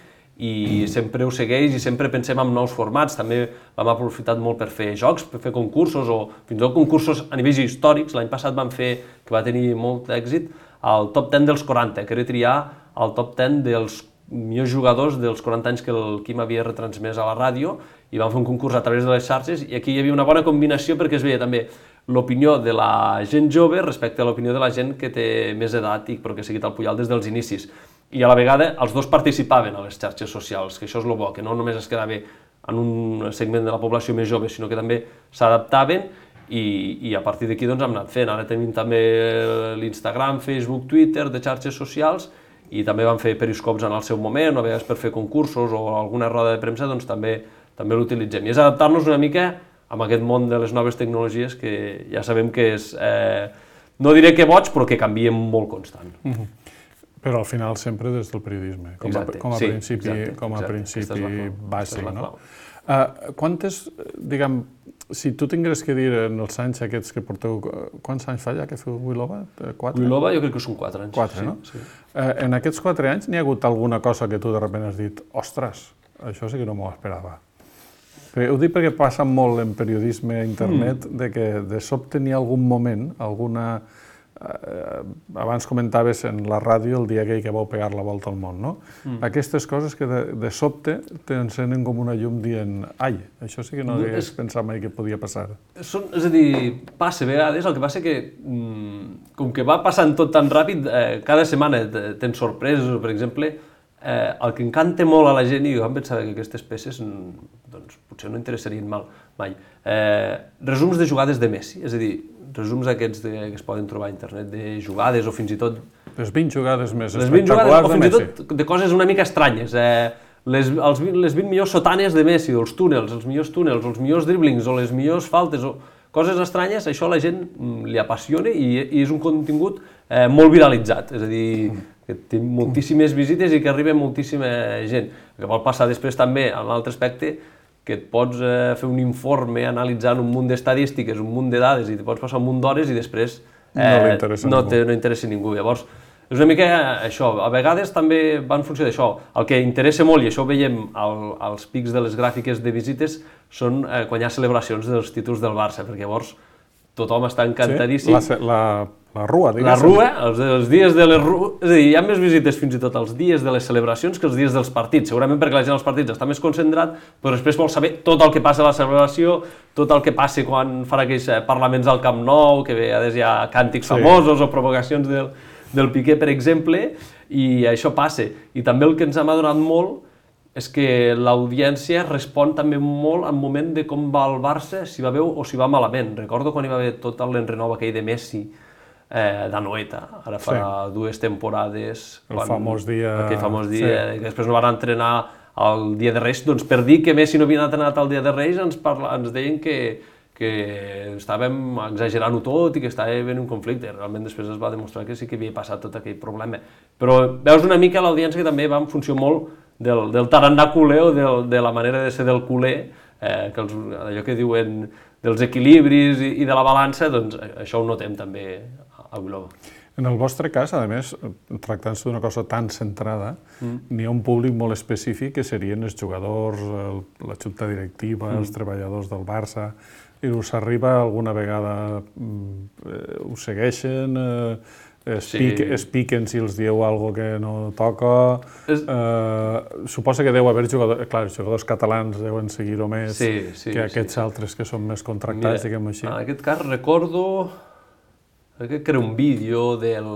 i sempre ho segueix i sempre pensem en nous formats. També l'hem aprofitat molt per fer jocs, per fer concursos o fins i tot concursos a nivells històrics. L'any passat vam fer, que va tenir molt èxit, el top deu dels quaranta, que era triar el top deu dels millors jugadors dels quaranta anys que el Quim havia retransmès a la ràdio, i vam fer un concurs a través de les xarxes, i aquí hi havia una bona combinació perquè es veia també l'opinió de la gent jove respecte a l'opinió de la gent que té més edat i però que ha seguit el Pujal des dels inicis. I a la vegada els dos participaven a les xarxes socials, que això és el bo, que no només es quedava en un segment de la població més jove, sinó que també s'adaptaven i, i a partir d'aquí doncs hem anat fent. Ara tenim també l'Instagram, Facebook, Twitter, de xarxes socials, i també vam fer periscops en el seu moment, o a vegades per fer concursos o alguna roda de premsa, doncs també, també l'utilitzem. I és adaptar-nos una mica amb aquest món de les noves tecnologies que ja sabem que és, eh, no diré que boig, però que canvia molt constant. Mm-hmm. Però al final sempre des del periodisme, com a, com a sí, principi, exacte, com a exacte. principi bàsic, no? Uh, quantes, diguem, si tu tingués que dir en els anys aquests que porteu, quants anys fa ja que feu Wilova? Quatre? Wilova jo crec que són quatre anys. Quatre, sí, no? Sí. Uh, en aquests quatre anys n'hi ha hagut alguna cosa que tu de sobte has dit, ostres, això sí que no m'ho esperava. Ho dic perquè passa molt en periodisme a internet, mm. de que de sobte n'hi ha algun moment, alguna... Eh, abans comentaves en la ràdio el dia aquell que vau pegar la volta al món, no? Mm. Aquestes coses que de, de sobte t'encenen com una llum dient ai, això sí que no hagués és... pensat mai que podia passar. Són, és a dir, passa a vegades, el que passa que com que va passant tot tan ràpid, eh, cada setmana tens sorpreses, per exemple, Eh, el que encanta molt a la gent, i jo em pensava que aquestes peces doncs, potser no interessarien mal, mai, eh, resums de jugades de Messi, és a dir, resums aquests de, que es poden trobar a internet de jugades o fins i tot... Les vint jugades més les vint espectaculars jugades, de Messi. O fins i tot de coses una mica estranyes, eh, les, els, les vint millors sotanes de Messi, o els túnels, els millors túnels, o els millors driblings, o les millors faltes, o coses estranyes, això a la gent li apassiona i, i és un contingut eh, molt viralitzat, és a dir, que té moltíssimes visites i que arriba moltíssima gent. El que vol passar després també, en l'altre aspecte, que et pots eh, fer un informe analitzant un munt d'estadístiques, un munt de dades i te pots passar un munt d'hores i després eh, no li interessa no, ningú. te, no interessa ningú. Llavors, és una mica això. A vegades també va en funció d'això. El que interessa molt, i això ho veiem al, als pics de les gràfiques de visites, són eh, quan hi ha celebracions dels títols del Barça, perquè llavors tothom està encantadíssim. Sí? La, la, la rua, diguéssim. La rua, els, els dies de les rues... És a dir, hi ha més visites fins i tot els dies de les celebracions que els dies dels partits. Segurament perquè la gent als partits està més concentrat, però després vol saber tot el que passa a la celebració, tot el que passa quan fan aquells parlaments al Camp Nou, que a vegades hi ha càntics sí. famosos o provocacions del, del Piqué, per exemple, i això passa. I també el que ens hem adonat molt és que l'audiència respon també molt al moment de com va el Barça, si va bé o si va malament. Recordo quan hi va haver tot l'enrenou aquell de Messi, eh, d'Anoeta, ara fa sí. dues temporades. El quan, famós dia... Aquell famós dia, sí. que després no van entrenar el dia de Reis, doncs per dir que Messi no havia entrenat el dia de Reis ens, parla, ens deien que, que estàvem exagerant-ho tot i que estava havent un conflicte. Realment després es va demostrar que sí que havia passat tot aquell problema. Però veus una mica l'audiència que també va en funció molt del, del tarannà culer o del, de la manera de ser del culer, eh, que els, allò que diuen dels equilibris i, i de la balança, doncs això ho notem també a Wilova. En el vostre cas, a més, tractant-se d'una cosa tan centrada, mm. n'hi ha un públic molt específic que serien els jugadors, el, la junta directiva, mm. els treballadors del Barça, i us arriba alguna vegada, eh, us segueixen, eh, es, sí. pic, es piquen si els dieu alguna cosa que no toca. És... Eh, suposa que deu haver jugadors, clar, els jugadors catalans deuen seguir-ho més sí, sí, que aquests sí. altres que són més contractats, Mira, diguem així. En aquest cas recordo, crec que era un vídeo del...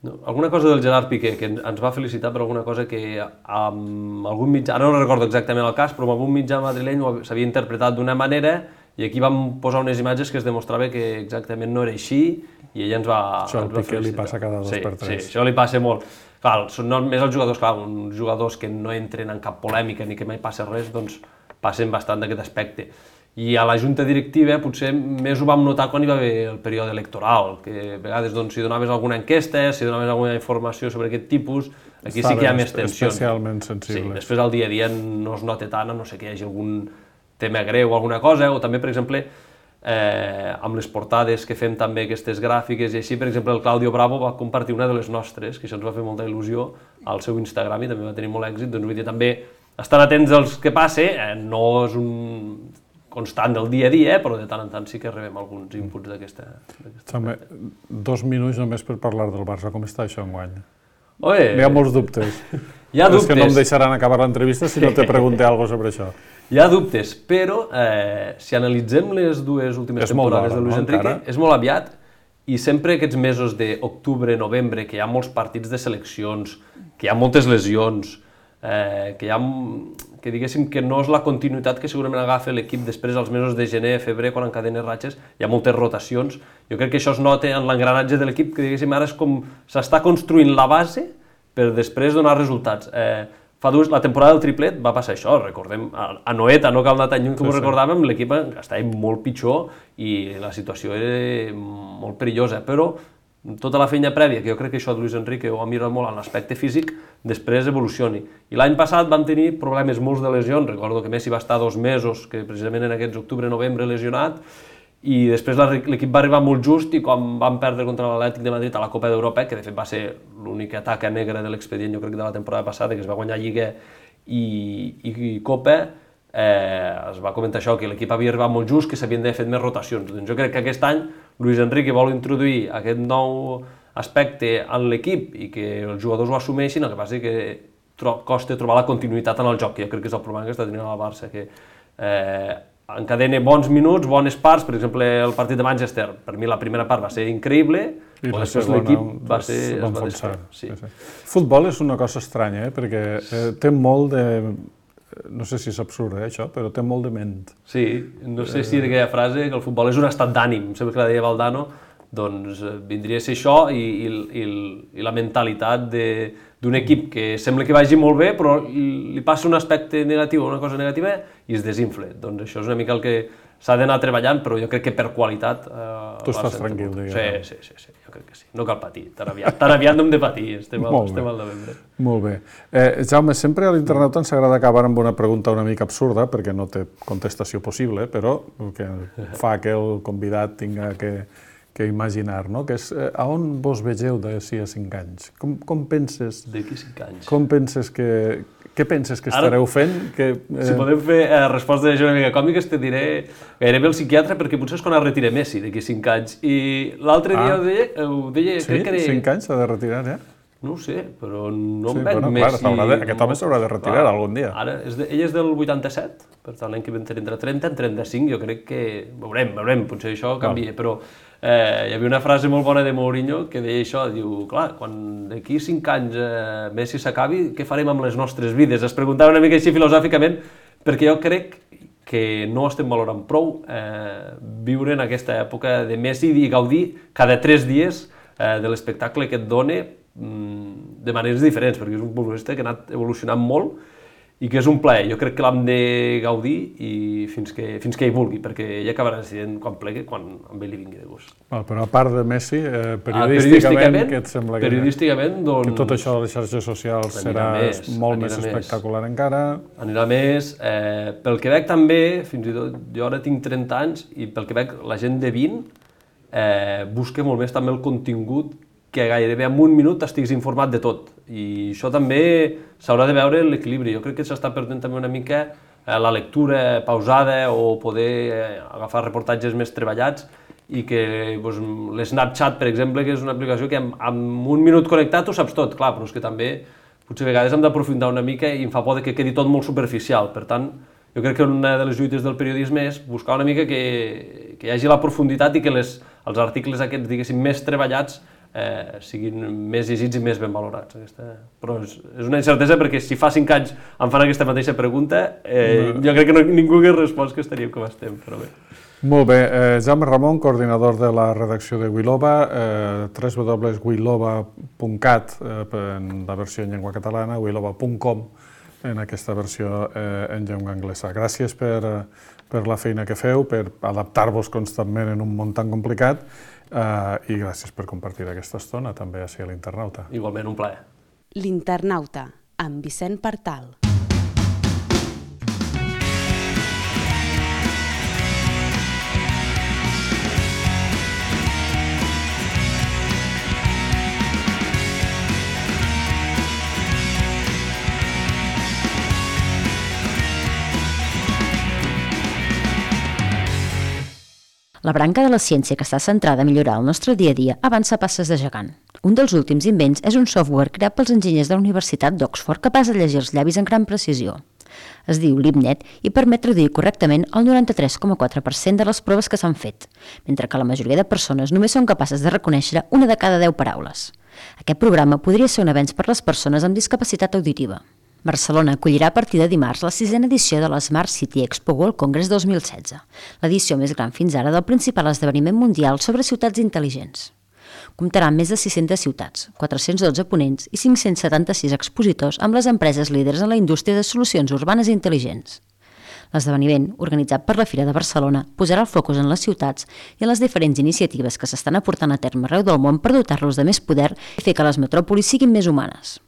No, alguna cosa del Gerard Piqué, que ens va felicitar per alguna cosa que amb algun mitjà, ara no recordo exactament el cas, però amb algun mitjà madrileny s'havia interpretat d'una manera i aquí vam posar unes imatges que es demostrava que exactament no era així i ella ens va, això ens va Piqué li passa cada dos sí, per tres. Sí, això li passa molt. Clar, són només els jugadors, clar, uns jugadors que no entren en cap polèmica ni que mai passa res, doncs passen bastant d'aquest aspecte. I a la junta directiva potser més ho vam notar quan hi va haver el període electoral, que a vegades doncs, si donaves alguna enquesta, si donaves alguna informació sobre aquest tipus, aquí Estaven sí que hi ha més tensions. Especialment sensibles. Sí, després al dia a dia no es nota tant, a no sé que hi hagi algun tema greu o alguna cosa, o també, per exemple, eh, amb les portades que fem també aquestes gràfiques i així, per exemple, el Claudio Bravo va compartir una de les nostres, que això ens va fer molta il·lusió, al seu Instagram i també va tenir molt èxit, doncs vull dir, també estan atents als que passe, eh, no és un constant del dia a dia, però de tant en tant sí que rebem alguns inputs d'aquesta... També, dos minuts només per parlar del Barça, com està això enguany? Oye, hi ha molts dubtes. Hi ha dubtes. És que no em deixaran acabar l'entrevista si no te pregunté alguna cosa sobre això. Hi ha dubtes, però eh, si analitzem les dues últimes és temporades de Luis no, Enrique, encara? és molt aviat, i sempre aquests mesos d'octubre, novembre, que hi ha molts partits de seleccions, que hi ha moltes lesions, eh, que hi ha, que diguéssim que no és la continuïtat que segurament agafa l'equip després als mesos de gener, febrer, quan encadena ratxes, hi ha moltes rotacions. Jo crec que això es nota en l'engranatge de l'equip, que diguéssim ara és com s'està construint la base per després donar resultats. Eh, Fa dues, la temporada del triplet va passar això, recordem, a Noeta, no cal anar tan lluny com ho recordàvem, l'equip estava molt pitjor i la situació era molt perillosa, però tota la feina prèvia, que jo crec que això de Luis Enrique ho ha mirat molt en l'aspecte físic, després evolucioni. I l'any passat vam tenir problemes molts de lesions, recordo que Messi va estar dos mesos, que precisament en aquests octubre-novembre lesionat, i després l'equip va arribar molt just i quan van perdre contra l'Atlètic de Madrid a la Copa d'Europa, que de fet va ser l'única taca negra de l'expedient, jo crec que de la temporada passada, que es va guanyar Lliga i, i, i Copa, eh, es va comentar això, que l'equip havia arribat molt just, que s'havien d'haver fet més rotacions. Doncs jo crec que aquest any Luis Enrique vol introduir aquest nou aspecte en l'equip i que els jugadors ho assumeixin, el que passa és que tro costa trobar la continuïtat en el joc, que jo crec que és el problema que està tenint el Barça, que eh, encadena bons minuts, bones parts, per exemple el partit de Manchester, per mi la primera part va ser increïble, i però després l'equip va ser... es va enfonsar. Sí. Sí, sí. Futbol és una cosa estranya, eh? Perquè eh, té molt de... No sé si és absurd, eh, això, però té molt de ment. Sí, no sé si d'aquella frase que el futbol és un estat d'ànim, sempre que la deia Valdano, doncs vindria a ser això i, i, i, i la mentalitat d'un equip que sembla que vagi molt bé, però li passa un aspecte negatiu o una cosa negativa i es desinfla. Doncs això és una mica el que s'ha d'anar treballant, però jo crec que per qualitat... Tu estàs tranquil, diguem. Sí, sí, sí, jo crec que sí. No cal patir, tan aviat, tan aviat no hem de patir, estem al novembre. Molt bé. Jaume, sempre a l'Internauta ens agrada acabar amb una pregunta una mica absurda, perquè no té contestació possible, però que fa que el convidat tinga que que imaginar, no? Que és, a on vos vegeu d'aquí a cinc anys? Com, com penses... D'aquí a cinc anys? Com penses que... Què penses que estareu fent? Que, eh... Si podem fer eh, respostes una mica còmiques, te diré gairebé el psiquiatre, perquè potser és quan es retira Messi, d'aquí a cinc anys. I l'altre dia ah. ho deia... Ho deia sí? Crec que era... cinc anys s'ha de retirar, ja? No ho sé, però no em sí, veig bueno, Messi... Clar, de, aquest home s'haurà de retirar clar, algun dia. Ara, és de, ell és del vuitanta-set, per tant l'any que ve entre trenta i trenta-cinc, jo crec que... Veurem, veurem, potser això canvia, clar. Però... Eh, hi havia una frase molt bona de Mourinho que deia això, diu, clar, quan d'aquí cinc anys eh, Messi s'acabi, què farem amb les nostres vides? Es preguntava una mica així filosòficament, perquè jo crec que no estem valorant prou eh, viure en aquesta època de Messi i gaudir cada tres dies eh, de l'espectacle que et dona mm, de maneres diferents, perquè és un futbolista que ha anat evolucionant molt i que és un plaer. Jo crec que l'hem de gaudir i fins que, fins que hi vulgui, perquè ell acabarà decidint quan plegui, quan amb ell li vingui de gust. Val, però a part de Messi, eh, periodísticament, ah, periodísticament, què et sembla que, periodísticament, doncs, que tot això de les xarxes socials serà més, molt més espectacular més. Encara? Anirà més. Eh, pel que veig també, fins i tot, jo ara tinc trenta anys i pel que veig la gent de vint eh, busca molt més també el contingut que gairebé en un minut estiguis informat de tot. I això també s'haurà de veure l'equilibri. Jo crec que s'està perdent també una mica la lectura pausada o poder agafar reportatges més treballats i que doncs, l'Snapchat, per exemple, que és una aplicació que amb, amb un minut connectat ho saps tot, clar, però és que també potser a vegades hem d'aprofundir una mica i em fa por que quedi tot molt superficial. Per tant, jo crec que una de les lluites del periodisme és buscar una mica que, que hi hagi la profunditat i que les, els articles aquests, diguéssim, més treballats Eh, siguin més llegits i més ben valorats. Aquesta... Però és, és una incertesa perquè si fa cinc anys em fan aquesta mateixa pregunta, eh, no. jo crec que no, ningú hagués respost que estaríem com estem, però bé. Molt bé. Eh, Jaume Ramon, coordinador de la redacció de Wilova, eh, w w w punt wilova punt cat eh, en la versió en llengua catalana, wilova punt com en aquesta versió eh, en llengua anglesa. Gràcies per, per la feina que feu, per adaptar-vos constantment en un món tan complicat, Uh, i gràcies per compartir aquesta estona també així a l'Internauta. Igualment, un plaer. L'Internauta, amb Vicent Partal. La branca de la ciència que està centrada a millorar el nostre dia a dia avança a passes de gegant. Un dels últims invents és un software creat pels enginyers de la Universitat d'Oxford capaç de llegir els llavis amb gran precisió. Es diu LibNet i permet traduir correctament el noranta-tres coma quatre per cent de les proves que s'han fet, mentre que la majoria de persones només són capaces de reconèixer una de cada deu paraules. Aquest programa podria ser un avenç per les persones amb discapacitat auditiva. Barcelona acollirà a partir de dimarts la sisena edició de la Smart City Expo World Congress dos mil setze, l'edició més gran fins ara del principal esdeveniment mundial sobre ciutats intel·ligents. Comptarà amb més de sis-centes ciutats, quatre-cents dotze ponents i cinc-cents setanta-sis expositors amb les empreses líders en la indústria de solucions urbanes intel·ligents. L'esdeveniment, organitzat per la Fira de Barcelona, posarà el focus en les ciutats i en les diferents iniciatives que s'estan aportant a terme arreu del món per dotar-los de més poder i fer que les metròpolis siguin més humanes.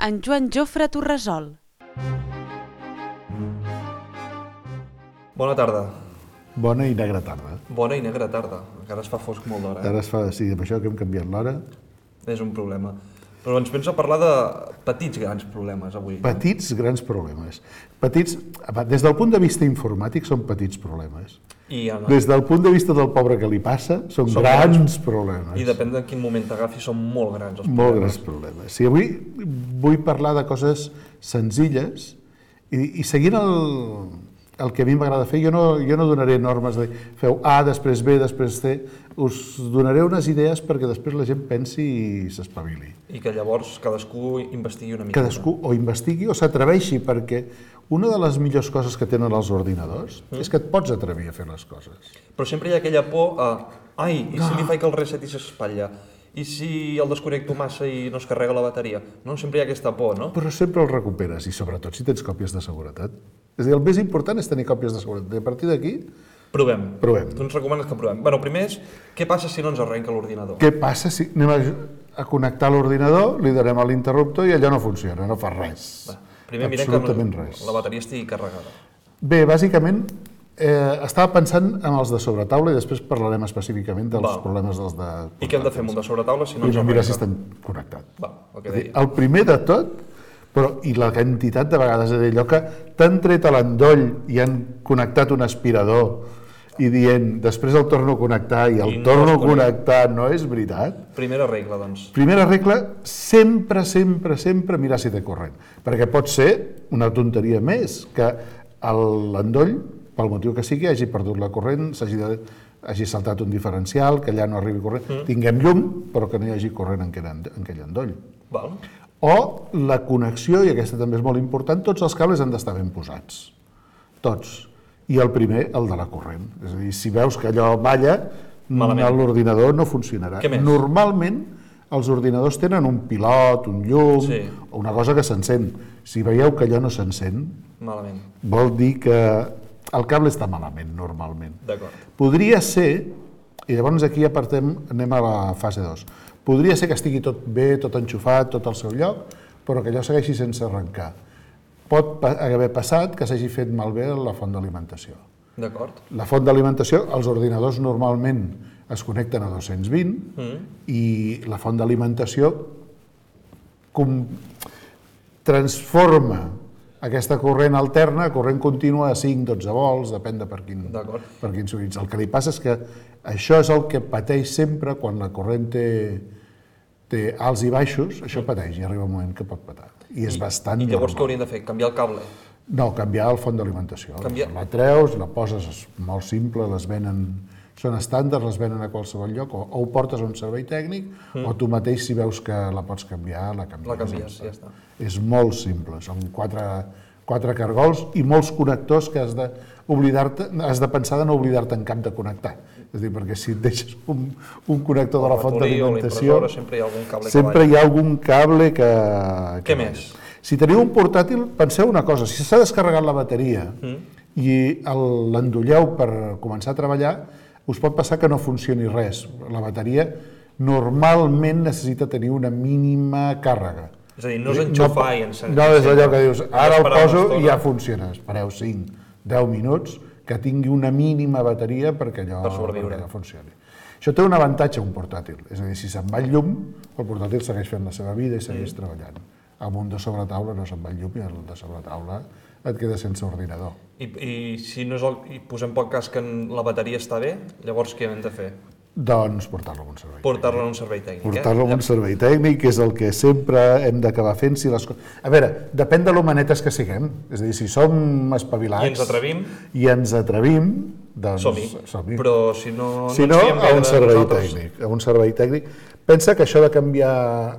En Joan Jofre Torresol. Bona tarda. Bona i negra tarda. Bona i negra tarda. Encara es fa fosc molt d'hora. Ara es fa, sí, amb això que hem canviat l'hora. És un problema. Però ens penso parlar de petits grans problemes avui. Petits grans problemes. Petits, des del punt de vista informàtic són petits problemes. I en... Des del punt de vista del pobre que li passa, són, són grans, grans problemes. I depèn de quin moment t'agafi, són molt grans els problemes. Molt grans problemes. Sí, avui vull parlar de coses senzilles i, i seguint el, el que a mi m'agrada fer, jo no, jo no donaré normes de feu A, després B, després C, us donaré unes idees perquè després la gent pensi i s'espavili. I que llavors cadascú investigui una mica. Cadascú o investigui o s'atreveixi, perquè una de les millors coses que tenen els ordinadors mm. és que et pots atrevir a fer les coses. Però sempre hi ha aquella por a ai, i si li faig que el reset i s'espatlla? I si el desconnecto massa i no es carrega la bateria? No, sempre hi ha aquesta por, no? Però sempre el recuperes, i sobretot si tens còpies de seguretat. És a dir, el més important és tenir còpies de seguretat. I a partir d'aquí, Provem. Provem. Tu ens recomanes que provem. Bueno, primer és, què passa si no ens arrenca l'ordinador? què passa si anem a, a connectar l'ordinador, li donem a l'interruptor i allò no funciona, no fa res. Va, primer mirem que Absolutament res. la bateria estigui carregada. Bé, bàsicament, eh, estava pensant en els de sobretaula i després parlarem específicament dels Val. problemes dels de... I què hem de fer amb un de sobretaula si no ens Primer arrenca? mirar si estan connectats. Va, el que És a dir, deia. el primer de tot, però, i la quantitat de vegades, és a dir, allò que t'han tret a l'endoll i han connectat un aspirador i dient, després el torno a connectar i el I no torno es a connectar, no és veritat. Primera regla, doncs. Primera regla, sempre, sempre, sempre mirar si té corrent. Perquè pot ser una tonteria més, que l'endoll, pel motiu que sigui, hagi perdut la corrent, s'hagi de, hagi saltat un diferencial, que allà no arribi corrent, mm. tinguem llum, però que no hi hagi corrent en aquell, en aquell endoll. Val. O la connexió, i aquesta també és molt important, tots els cables han d'estar ben posats. Tots. I el primer, el de la corrent. És a dir, si veus que allò balla, Malament. l'ordinador no funcionarà. Què més? Normalment, els ordinadors tenen un pilot, un llum, Sí. o una cosa que s'encén. Si veieu que allò no s'encén, Malament. vol dir que el cable està malament, normalment. D'acord. Podria ser, i llavors aquí apartem, anem a la fase dos, podria ser que estigui tot bé, tot enxufat, tot al seu lloc, però que allò segueixi sense arrencar. Pot pa- haver passat que s'hagi fet malbé la font d'alimentació. D'acord. La font d'alimentació, els ordinadors normalment es connecten a dos-cents vint Mm. i la font d'alimentació com transforma aquesta corrent alterna a corrent contínua a cinc dotze volts, depèn de per quin, D'acord. per quin s'utilitza. El que li passa és que això és el que pateix sempre quan la corrent té, té alts i baixos, això pateix i arriba un moment que pot patar. I és bastant I llavors què normal. hauríem de fer? Canviar el cable? No, canviar el font d'alimentació. Canviar- La treus, la poses, és molt simple, les venen, són estàndards, les venen a qualsevol lloc, o, o ho portes a un servei tècnic, mm. o tu mateix, si veus que la pots canviar, la canvies. La canvies, ja està. És molt simple, són quatre, quatre cargols i molts connectors que has de, oblidar-te, has de pensar de no oblidar-te en cap de connectar. És a dir, perquè si et deixes un, un connector de la font ratolí o la d'alimentació, impressora, sempre hi ha algun cable que sempre balla. hi ha algun cable que... que Què balla. més? Si teniu un portàtil, penseu una cosa, si s'ha descarregat la bateria mm. i el- l'endolleu per començar a treballar, us pot passar que no funcioni res. La bateria normalment necessita tenir una mínima càrrega. És a dir, no és enxufar i encendre. No és allò que dius, ara el Esperar una poso estona. i ja funciona. Espereu cinc, deu minuts, que tingui una mínima bateria perquè allò, Per sobreviure. perquè allò funcioni. Això té un avantatge, un portàtil. És a dir, si se'n va el llum, el portàtil segueix fent la seva vida i segueix mm. treballant. Amb un de sobretaula no se'n va el llum i el de sobretaula et queda sense ordinador. I, i si no és el, i posem pel cas que en- la bateria està bé, llavors què hem de fer? Doncs portar-lo a un servei. Portar-la a un servei tècnic, Portar-lo eh? a un servei tècnic, que és el que sempre hem d'acabar fent. Si les... co- A veure, depèn de l'homenetes que siguem. És a dir, si som espavilats... I ens atrevim? I ens atrevim, doncs Som-hi. som-hi. Però si no, Si no no, ens fiem bé a un de servei nosaltres, tècnic. A un servei tècnic. Pensa que això de canviar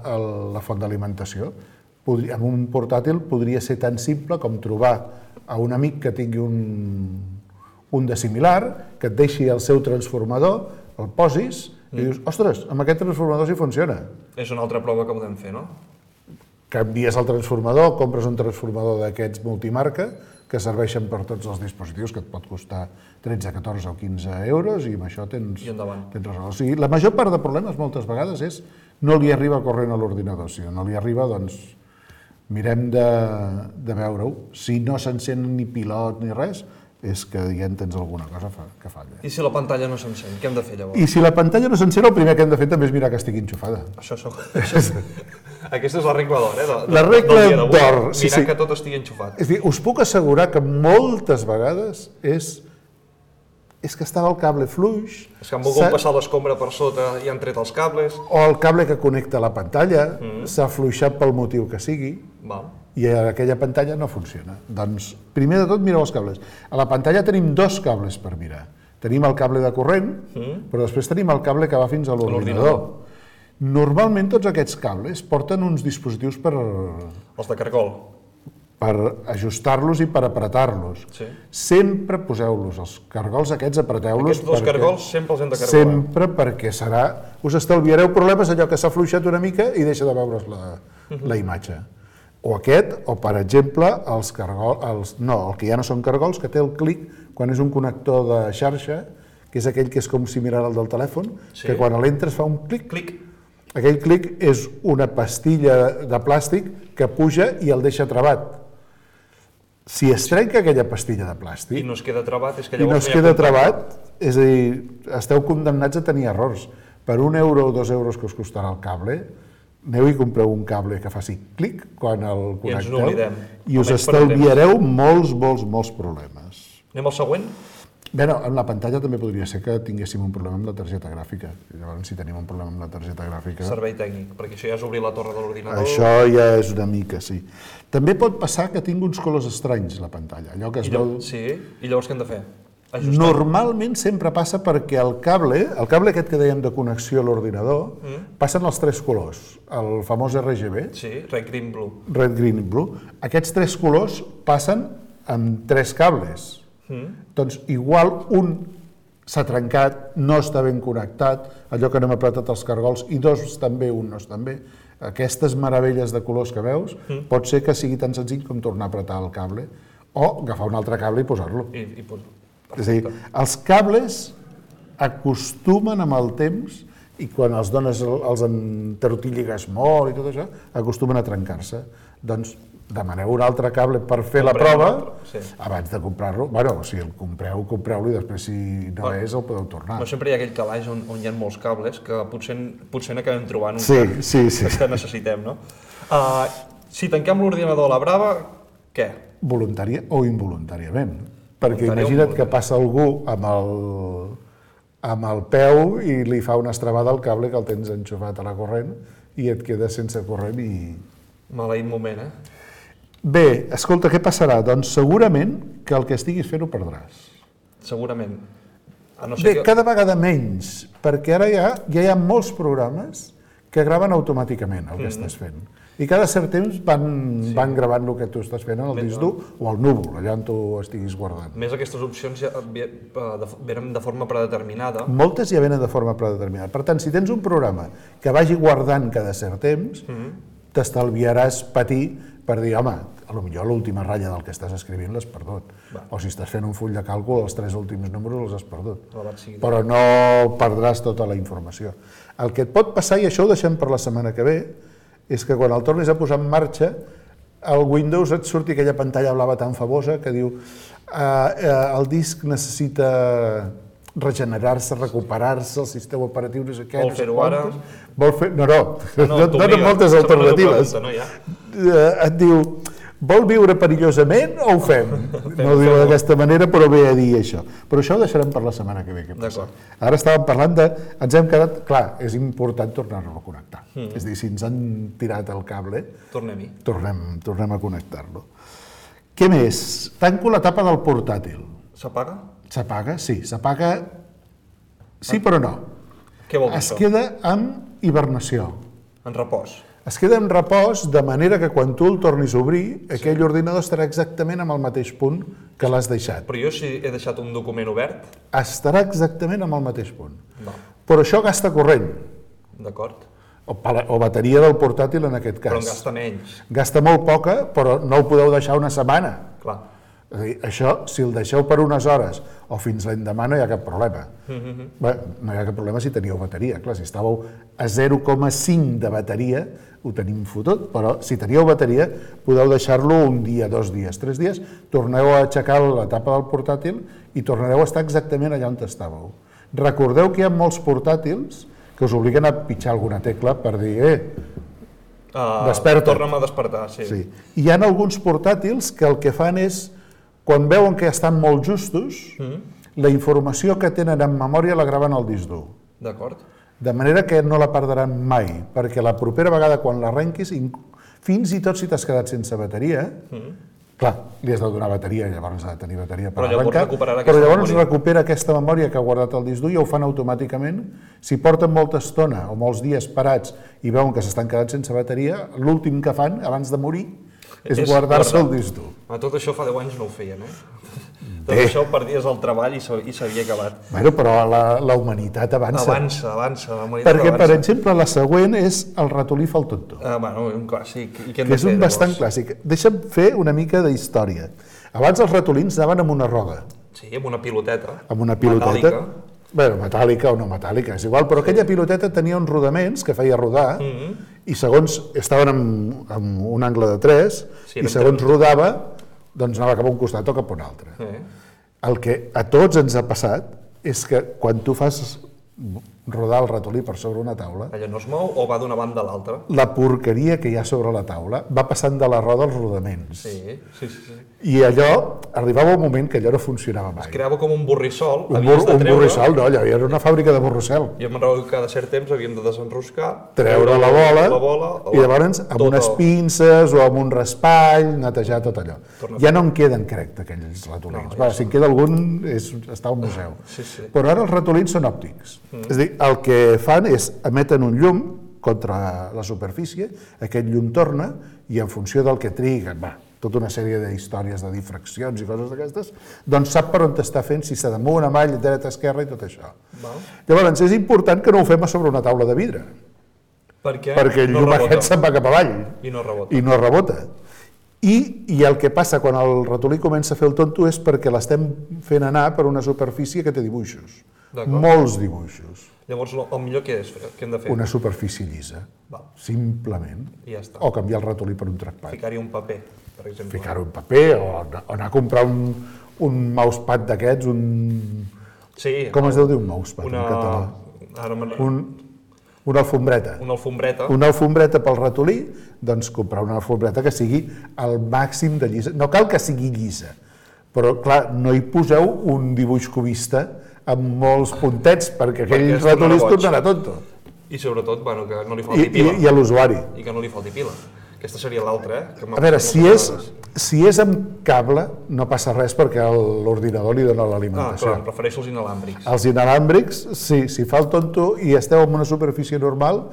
el, la font d'alimentació, podri- amb un portàtil podria ser tan simple com trobar a un amic que tingui un, un de similar, que et deixi el seu transformador, el posis, i dius, ostres, amb aquest transformador sí funciona. És una altra prova que podem fer, no? Canvies el transformador, compres un transformador d'aquests multimarca, que serveixen per tots els dispositius, que et pot costar tretze, catorze o quinze euros, i amb això tens, I endavant. tens resolt. O sigui, la major part de problemes, moltes vegades, és no li arriba corrent a l'ordinador. Si no li arriba, doncs mirem de, de veure-ho. Si no s'encén ni pilot ni res, és que ja en tens alguna cosa fa, que falla. I si la pantalla no s'encén, què hem de fer llavors? I si la pantalla no s'encén, el primer que hem de fer també és mirar que estigui enxufada. Això, això, això, aquesta és la regla d'or, eh? De, de, La regla del dia d'avui. d'or, sí, Mirar sí. que tot estigui enxufat. És a dir, us puc assegurar que moltes vegades és, és que estava el cable fluix, És que han volgut s'ha- passar l'escombra per sota i han tret els cables. o el cable que connecta la pantalla s'ha fluixat pel motiu que sigui, Val. i aquella pantalla no funciona. Doncs, primer de tot, mireu els cables. A la pantalla tenim dos cables per mirar. Tenim el cable de corrent, però després tenim el cable que va fins a l'ordinador. Normalment tots aquests cables porten uns dispositius per... Els de cargol. per ajustar-los i per apretar-los. Sí. Sempre poseu-los, els cargols aquests apreteu-los. Aquests dos cargols sempre els hem de cargolar. Sempre, perquè serà... Us estalviareu problemes allò que s'ha fluixat una mica i deixa de veure's la, la imatge. O aquest, o per exemple, els cargols... Els, no, el que ja no són cargols, que té el clic, quan és un connector de xarxa, que és aquell que és com similar al del telèfon, Sí. que quan l'entres fa un clic. Clic. Aquell clic és una pastilla de plàstic que puja i el deixa trabat. Si es trenca aquella pastilla de plàstic I no es queda trabat, és que i no llavors es hi ha queda contacte. trabat, és a dir, esteu condemnats a tenir errors. Per un euro o dos euros que us costarà el cable, aneu i compreu un cable que faci clic quan el I ens connecteu n'oblidem. i us Almenys per un estalviareu molts, molts, molts problemes. Anem al següent? Bé, no, en la pantalla també podria ser que tinguéssim un problema amb la targeta gràfica. Llavors, si tenim un problema amb la targeta gràfica... Servei tècnic, perquè això ja és obrir la torre de l'ordinador. Això ja és una mica, sí. També pot passar que tingui uns colors estranys, la pantalla. Allò que es I veu... llavors, sí, i llavors què hem de fer? Ajustar. Normalment sempre passa perquè el cable, el cable aquest que dèiem de connexió a l'ordinador, mm. passen els tres colors, el famós R G B, Sí, red, green, blue. red, green i blue. Aquests tres colors passen amb tres cables. Mm. Doncs igual un s'ha trencat, no està ben connectat, allò que no hem apretat els cargols, i dos estan bé, un no estan bé. Aquestes meravelles de colors que veus, mm. pot ser que sigui tan senzill com tornar a apretar el cable, o agafar un altre cable i posar-lo. I, i pues, És a dir, els cables acostumen amb el temps, i quan els dones, els entortilligues molt i tot això, acostumen a trencar-se. Doncs demaneu un altre cable per fer la Compreu un prova altre, sí. abans de comprar-lo. Bueno, si el compreu, compreu-lo i després si no Bueno, és el podeu tornar. no sempre hi ha aquell calaix on, on hi ha molts cables que potser, potser n'acabem trobant un Sí, que, sí, sí. que necessitem, no? Uh, si tanquem l'ordinador a la brava, què? Voluntària o involuntàriament. Perquè Voluntària o imagina't que involuntària. passa algú amb el, amb el peu i li fa una estrabada al cable que el tens enxufat a la corrent i et quedes sense corrent i... Maleït moment, eh? Bé, escolta, què passarà? Doncs segurament que el que estiguis fent ho perdràs. Segurament. A no Bé, ser que... cada vegada menys, perquè ara ja, ja hi ha molts programes que graven automàticament el que estàs fent. I cada cert temps van, sí. van gravant el que tu estàs fent en el disc dur o al núvol, allà on tu estiguis guardant. Més aquestes opcions ja ve- de- venen de forma predeterminada. Moltes ja venen de forma predeterminada. Per tant, si tens un programa que vagi guardant cada cert temps, t'estalviaràs patir per dir, home, a lo millor l'última ratlla del que estàs escrivint l'has perdut. Va. O si estàs fent un full de càlcul, els tres últims números els has perdut. Alabat sigui Déu. Però no perdràs tota la informació. El que et pot passar, i això ho deixem per la setmana que ve, és que quan el tornis a posar en marxa, al Windows et surti aquella pantalla blava tan famosa que diu eh, eh, el disc necessita regenerar-se, recuperar-se, el sistema operatiu no sé què, Vol no sé fer-ho ara? quantes. Vol fer... No, no, no, no t'obliga. donen moltes Sempre és una alternatives. pregunta, no, ja? Eh, et diu, vol viure perillosament o ho fem? No ho diu d'aquesta manera, però ve a dir això. Però això ho deixarem per la setmana que ve. Què passa? Ara estàvem parlant de... Ens hem quedat... Clar, és important tornar-lo a connectar. Mm. És a dir, si ens han tirat el cable, Tornem-hi. tornem, tornem a connectar-lo. Què més? Tanco la tapa del portàtil. S'apaga? S'apaga? Sí, s'apaga... Sí, però no. Què vol dir Es això? queda amb hibernació. En repòs. Es queda en repòs de manera que quan tu el tornis a obrir, aquell ordinador estarà exactament en el mateix punt que l'has deixat. Però jo si he deixat un document obert, Estarà exactament en el mateix punt. no. Però això gasta corrent, D'acord? o, pala- o bateria del portàtil en aquest cas. Però en gasta menys. Gasta molt poca, però no ho podeu deixar una setmana. Clar. És a dir, això, si el deixeu per unes hores o fins l'endemà, no hi ha cap problema. Mm-hmm. Bé, no hi ha cap problema si teníeu bateria. Clar, si estàveu a zero coma cinc de bateria, ho tenim fotut, però si teníeu bateria, podeu deixar-lo un dia, dos dies, tres dies, torneu a aixecar la tapa del portàtil i tornareu a estar exactament allà on estàveu. Recordeu que hi ha molts portàtils que us obliguen a pitjar alguna tecla per dir, eh, Uh, Desperta't. Torna'm a despertar, sí. sí. Hi ha alguns portàtils que el que fan és, quan veuen que estan molt justos, mm. la informació que tenen en memòria la graven al disc dur. D'acord? De manera que no la perdran mai, perquè la propera vegada quan l'arrenquis, inc- fins i tot si t'has quedat sense bateria, mm. clar, li has de donar bateria, llavors ha de tenir bateria per Però llavors arrencar, recuperarà però aquesta llavors memòria. recupera aquesta memòria que ha guardat al disc dur i ho fan automàticament. Si porten molta estona o molts dies parats i veuen que s'estan quedant sense bateria, l'últim que fan, abans de morir, és guardar-se el disc dur. Tot això fa deu anys no ho feien, eh? Tot això ho perdies al treball i s'havia acabat. Bueno, però la, la humanitat avança. Avança, avança, la humanitat Perquè, avança. per exemple, la següent és el ratolí fa el tonto. Ah, bueno, un clàssic. I què hem Que de és fer, un bastant llavors? clàssic. Deixa'm fer una mica d'història. Abans els ratolins anaven amb una roda, Sí, amb una piloteta. amb una piloteta. Metàl·lica. Bé, metàl·lica o no metàl·lica, és igual, però aquella piloteta tenia uns rodaments que feia rodar i segons estaven en, en un angle de tres Sí, i eren segons tres. rodava, doncs anava cap a un costat o cap a un altre. Eh. El que a tots ens ha passat és que quan tu fas rodar el ratolí per sobre una taula, Allò no es mou o va d'una banda a l'altra? la porqueria que hi ha sobre la taula va passant de la roda als rodaments. Sí, sí, sí. sí. I allò, arribava un moment que allò no funcionava mai. Es creava com un borrissol, Un, havies bur, de un treure... borrissol, no, allò era una fàbrica de borrissol. Jo me'n recordo que cada cert temps havíem de desenroscar, Treure la bola, la bola i llavors amb tot unes el- pinces o amb un raspall, netejar tot allò. Torna a Ja no en queden, crec, d'aquells ratolins. No, Va, si en queda algun, és, està al museu. Sí, sí. Però ara els ratolins són òptics. Mm. És a dir, el que fan és emeten un llum contra la superfície, aquest llum torna i en funció del que triga, va, tota una sèrie d'històries de difraccions i coses d'aquestes, doncs sap per on t'està fent, si s'ha damunt, avall, dreta, esquerra i tot això. Val. Llavors, és important que no ho fem a sobre una taula de vidre, Perquè, perquè el no llum rebota. aquest se'n va cap avall I no rebota. i no rebota. I, I el que passa quan el ratolí comença a fer el tonto és perquè l'estem fent anar per una superfície que té dibuixos, D'acord. molts dibuixos. Llavors, lo- el millor què és? Què hem de fer? Una superfície llisa, Val. simplement. I ja està. O canviar el ratolí per un trackpad. Ficar-hi un paper, per exemple. Ficar-ho en paper o, o anar a comprar un, un mousepad d'aquests, un... Sí. Com es deu dir un mousepad Una... en català? Ara me'n- Un, una alfombreta. Una alfombreta. Una alfombreta pel ratolí, doncs comprar una alfombreta que sigui al màxim de llisa. No cal que sigui llisa, però clar, no hi poseu un dibuix cubista amb molts puntets, perquè aquell Perquè es ratolí es tornarà boig. tornarà tonto. I sobretot, bueno, que no li I, falti i, pila. i a l'usuari. I que no li falti pila. Aquesta seria l'altra, eh? Que m'ha A veure, passat si moltes és, vegades. si és amb cable, no passa res perquè el- l'ordinador li dona Ah, l'alimentació. clar, prefereixo els inalàmbrics. Els inalàmbrics, sí, si fa el tonto i esteu en una superfície normal,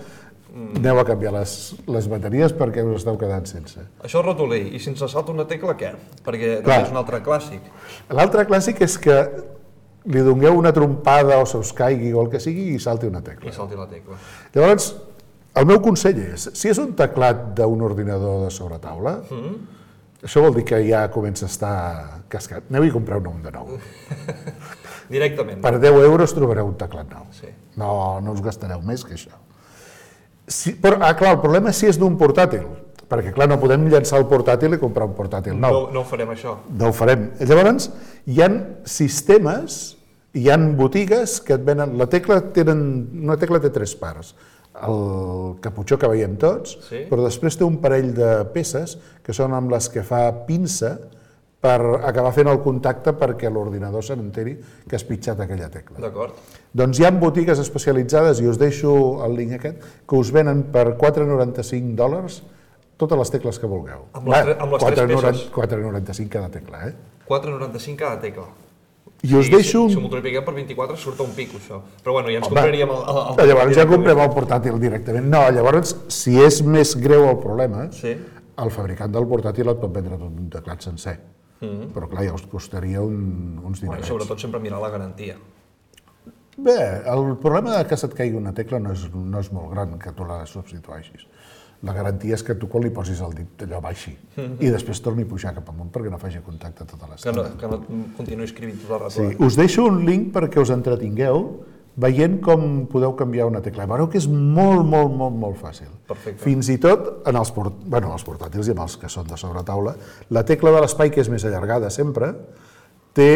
mm. aneu a canviar les, les bateries perquè us esteu quedant sense. Això és ratolí. I si ens salta una tecla, què? Perquè Clar. també és un altre clàssic. L'altre clàssic és que li dongueu una trompada o se us caigui o el que sigui i salti una tecla. I salti la tecla. Llavors, el meu consell és, si és un teclat d'un ordinador de sobretaula, mm. això vol dir que ja comença a estar cascat. Aneu i compreu un de nou. Directament. Per deu euros trobareu un teclat nou. Sí. No, no us gastareu més que això. Si, però, ah, clar, el problema és si és d'un portàtil, perquè clar, no podem llançar el portàtil i comprar un portàtil No, nou. no ho farem, això. No ho farem. Llavors, hi han sistemes, hi han botigues que et venen... La tecla tenen, una tecla té tres parts. El caputxó que veiem tots, Sí. però després té un parell de peces que són amb les que fa pinça per acabar fent el contacte perquè l'ordinador se n'enteri que has pitjat aquella tecla. D'acord. Doncs hi ha botigues especialitzades, i us deixo el link aquest, que us venen per quatre coma noranta-cinc dòlars totes les tecles que vulgueu. Amb les tre- amb les tres peces? quatre coma noranta-cinc cada tecla, eh? quatre coma noranta-cinc cada tecla. I us Sí, deixo... Si, si ho un... multipliquem per vint-i-quatre surt a un pico, això. Però bueno, ja ens Home, compraríem el... el, el Llavors ja directament. comprem el portàtil directament. No, llavors, si és més greu el problema, Sí. el fabricant del portàtil et pot vendre tot un teclat sencer. Mm. Però clar, ja us costaria un, uns Bueno, dinerets. i sobretot sempre mirar la garantia. Bé, el problema de que se't caigui una tecla no és, no és molt gran, que tu la substitueixis. La garantia és que tu quan li posis el dit allò baixi i després torni a pujar cap amunt perquè no faci contacte tota Que l'estona. no, que no continuï escrivint tot el rato. Sí, us deixo un link perquè us entretingueu veient com podeu canviar una tecla. Veureu que és molt, molt, molt, molt fàcil. Perfecte. Fins i tot en els, port... bueno, els portàtils i en els que són de sobretaula, la tecla de l'espai, que és més allargada sempre, té,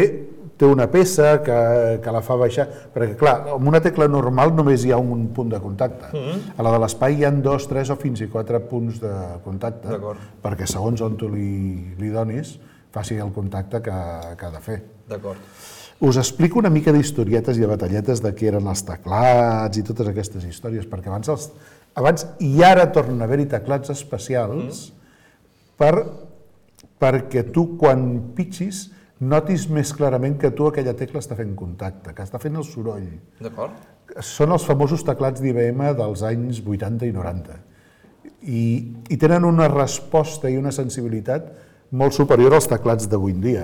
té una peça que, que la fa baixar, perquè clar, amb una tecla normal només hi ha un punt de contacte. Mm-hmm. A la de l'espai hi ha dos, tres o fins i quatre punts de contacte, D'acord. perquè segons on tu li, li donis, faci el contacte que, que ha de fer. D'acord. Us explico una mica d'historietes i de batalletes de què eren els teclats i totes aquestes històries, perquè abans, els, abans i ara tornen a haver-hi teclats especials mm. per, perquè tu quan pitxis notis més clarament que tu aquella tecla està fent contacte, que està fent el soroll. D'acord. Són els famosos teclats d'I B M dels anys vuitanta i noranta. I, i tenen una resposta i una sensibilitat molt superior als teclats d'avui en dia,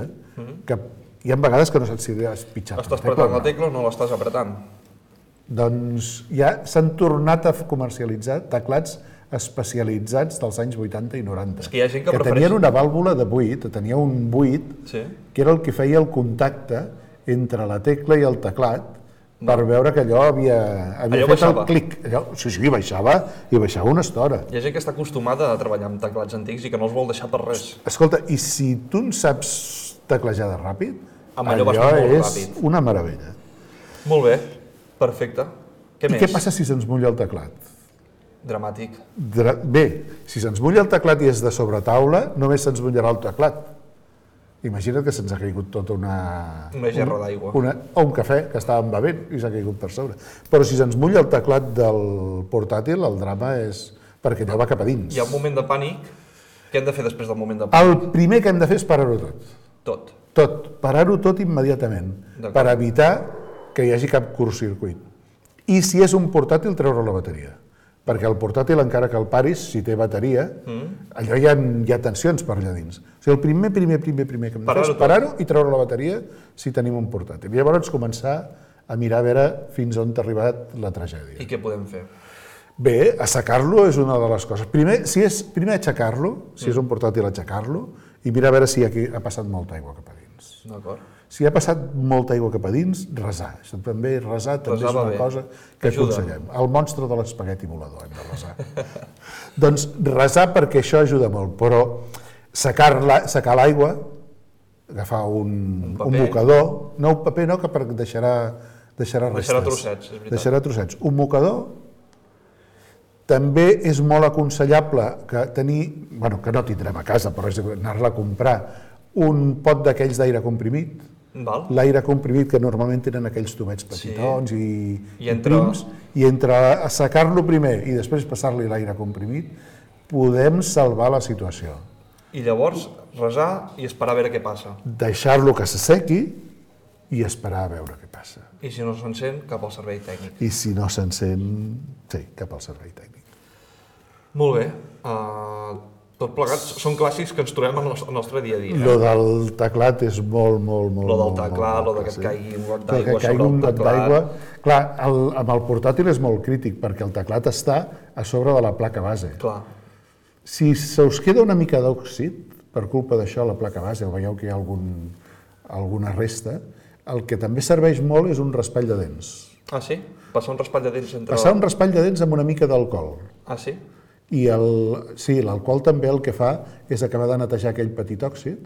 que hi ha vegades que no saps si has pitjat Estàs apretant la tecla o no l'estàs apretant? Doncs ja s'han tornat a comercialitzar teclats especialitzats dels anys vuitanta i noranta, És que hi ha gent que que prefereix- tenien una vàlvula de buit, tenia un buit Sí. que era el que feia el contacte entre la tecla i el teclat per veure que allò havia, havia Allò fet baixava. el clic. Allò, sí, sí, baixava, i baixava una estona. Hi ha gent que està acostumada a treballar amb teclats antics i que no els vol deixar per res. Escolta, i si tu en saps teclejar de ràpid, Amb allò vas molt és ràpid. una meravella. Molt bé, perfecte. Què I més? què passa si se'ns mulla el teclat? Dramàtic. Dra- Bé, si se'ns mulla el teclat i és de sobretaula, només se'ns mullarà el teclat. Imagina't que se'ns ha caigut tota una... Una gerra d'aigua. Una, o un cafè que estàvem bevent i s'ha caigut per sobre. Però si se'ns mulla el teclat del portàtil, el drama és perquè allò va cap a dins. Hi ha un moment de pànic. Què hem de fer després del moment de pànic? El primer que hem de fer és parar-ho tot. Tot. Tot, parar-ho tot immediatament, D'acord. per evitar que hi hagi cap curtcircuit. I si és un portàtil, treure la bateria. Perquè el portàtil, encara que el paris, si té bateria, mm. allò hi ha, hi ha tensions per allà dins. O sigui, el primer, primer, primer, primer que hem de fer és parar-ho i treure la bateria si tenim un portàtil. I llavors començar a mirar a veure fins on ha arribat la tragèdia. I què podem fer? Bé, assecar-lo és una de les coses. Primer, si és, primer aixecar-lo, si és un portàtil, aixecar-lo, i mirar a veure si aquí ha passat molta aigua cap a dins. D'acord. Si ha passat molta aigua cap a dins, resar. Això també, resar també Resar és va una bé. cosa que Ajuda. aconsellem. El monstre de l'espagueti volador hem de resar. Doncs resar perquè això ajuda molt, però secar la- secar l'aigua, agafar un, un, paper. un mocador, no un paper no, que per, deixarà, deixarà restes. Deixarà trossets, és veritat. Deixarà trossets. Un mocador. També és molt aconsellable que tenir, bueno, que no tindrem a casa, però és anar-la a comprar, un pot d'aquells d'aire comprimit. Val? L'aire comprimit que normalment tenen aquells tubets petitons i, I entre- prims, i entre assecar-lo primer i després passar-li l'aire comprimit, podem salvar la situació. I llavors resar i esperar a veure què passa. Deixar-lo que s'assequi i esperar a veure què passa. I si no s'encén, cap al servei tècnic. I si no s'encén, sí, cap al servei tècnic. Molt bé. Uh, tot plegat són clàssics que ens trobem al nostre, al nostre dia a dia. Lo del teclat és molt, molt, molt... Lo del molt, teclat, molt lo de que et clàssic. caigui un got Que d'aigua caigui sobre un el got teclat. d'aigua. Clar, el, amb el portàtil és molt crític perquè el teclat està a sobre de la placa base. Clar. Si se us queda una mica d'òxid, per culpa d'això, a la placa base, o veieu que hi ha algun, alguna resta, el que també serveix molt és un raspall de dents. Ah, sí? Passar un raspall de dents entre... Passar un raspall de dents amb una mica d'alcohol. Ah, sí? I el, sí, l'alcohol també el que fa és acabar de netejar aquell petit òxid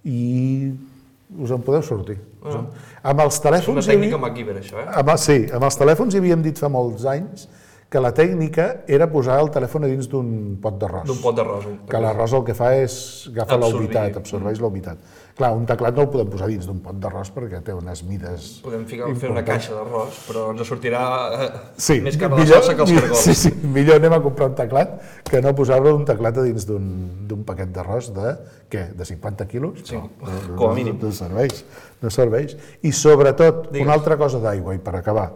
i us en podeu sortir. Ah. Amb els És una telèfons... hi tècnica havia- MacGyver, això, eh? Amb, sí, amb els telèfons hi havíem dit fa molts anys que la tècnica era posar el telèfon a dins d'un pot d'arròs. D'un pot d'arròs. un- Que l'arròs el que fa és agafa la Absorbir. humitat, absorbeix la humitat. Clar, un teclat no el podem posar dins d'un pot d'arròs perquè té unes mides... Podem ficar, fer una importants. caixa d'arròs, però ens sortirà eh, Sí, més cara de millor- salsa que els cargols. Sí, sí, millor anem a comprar un teclat que no posar-lo un teclat a dins d'un d'un paquet d'arròs de, què, de cinquanta quilos? Sí, no, no, com a no, mínim. No serveix, no serveix. I sobretot, Digues. una altra cosa d'aigua, i per acabar,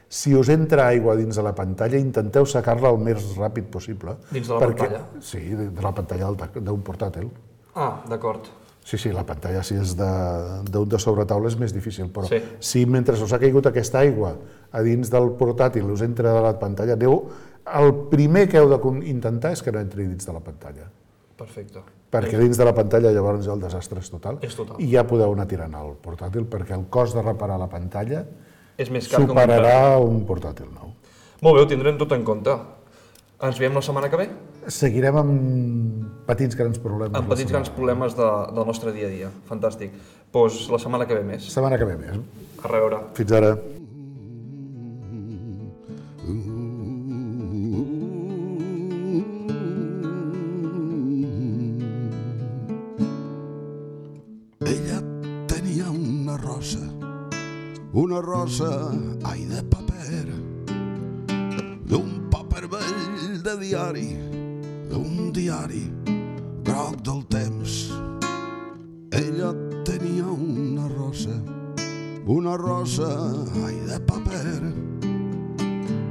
si us entra aigua dins de la pantalla, intenteu secar-la el més ràpid possible. Dins de la pantalla? Sí, de de la pantalla del tec- d'un portàtil. Ah, d'acord. Sí, sí, la pantalla si és de- d'un de, de sobretaula és més difícil, però Sí. si mentre us ha caigut aquesta aigua a dins del portàtil us entra de la pantalla, aneu, el primer que heu d'intentar és que no entri dins de la pantalla, Perfecte. perquè dins de la pantalla llavors el desastre és total, És total. i ja podeu anar tirant el portàtil, perquè el cost de reparar la pantalla És més car que un superarà un portàtil nou. Molt bé, ho tindrem tot en compte. Ens veiem la setmana que ve? Seguirem amb petits grans problemes. Amb la petits setmana. grans problemes de, del nostre dia a dia. Fantàstic. Doncs la setmana que ve més. Setmana que ve més. A reveure. Fins ara. Ella tenia una rosa, una rosa, ai, de paper, d'un paper vell de diari, d'un diari groc del temps. Ella tenia una rosa, una rosa, ai, de paper,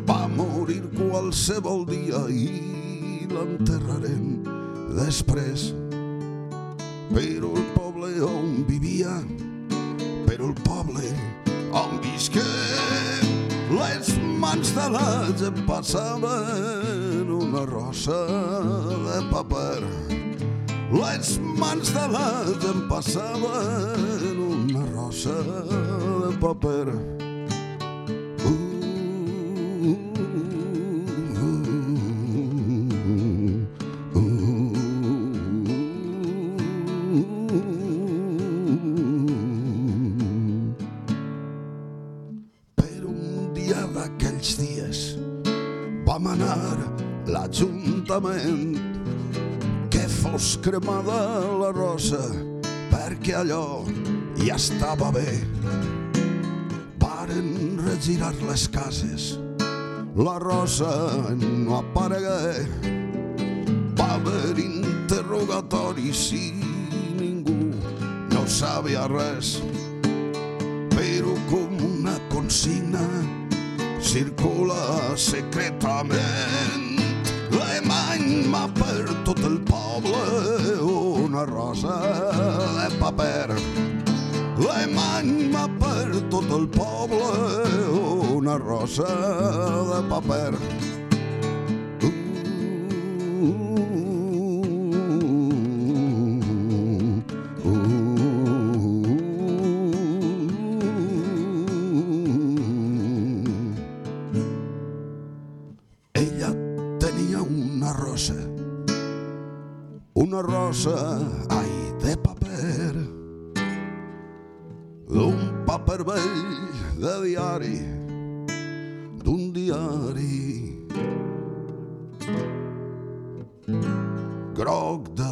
va morir qualsevol dia i l'enterraren després. Però el poble on vivia, però el poble on visqué, les mans de la gent passaven una rosa de paper. Les mans de la gent passaven una rosa de paper. Vam anar l'Ajuntament que fos cremada la rosa perquè allò ja estava bé. Varen regirar les cases, la rosa no aparegué. Va haver interrogatoris i ningú no sabia res, però com una consigna circula secretament. L'emany per tot el poble una rosa de paper. L'emany per tot el poble una rosa de paper. Una rosa, ai, de paper, d'un paper vell de diari, d'un diari groc de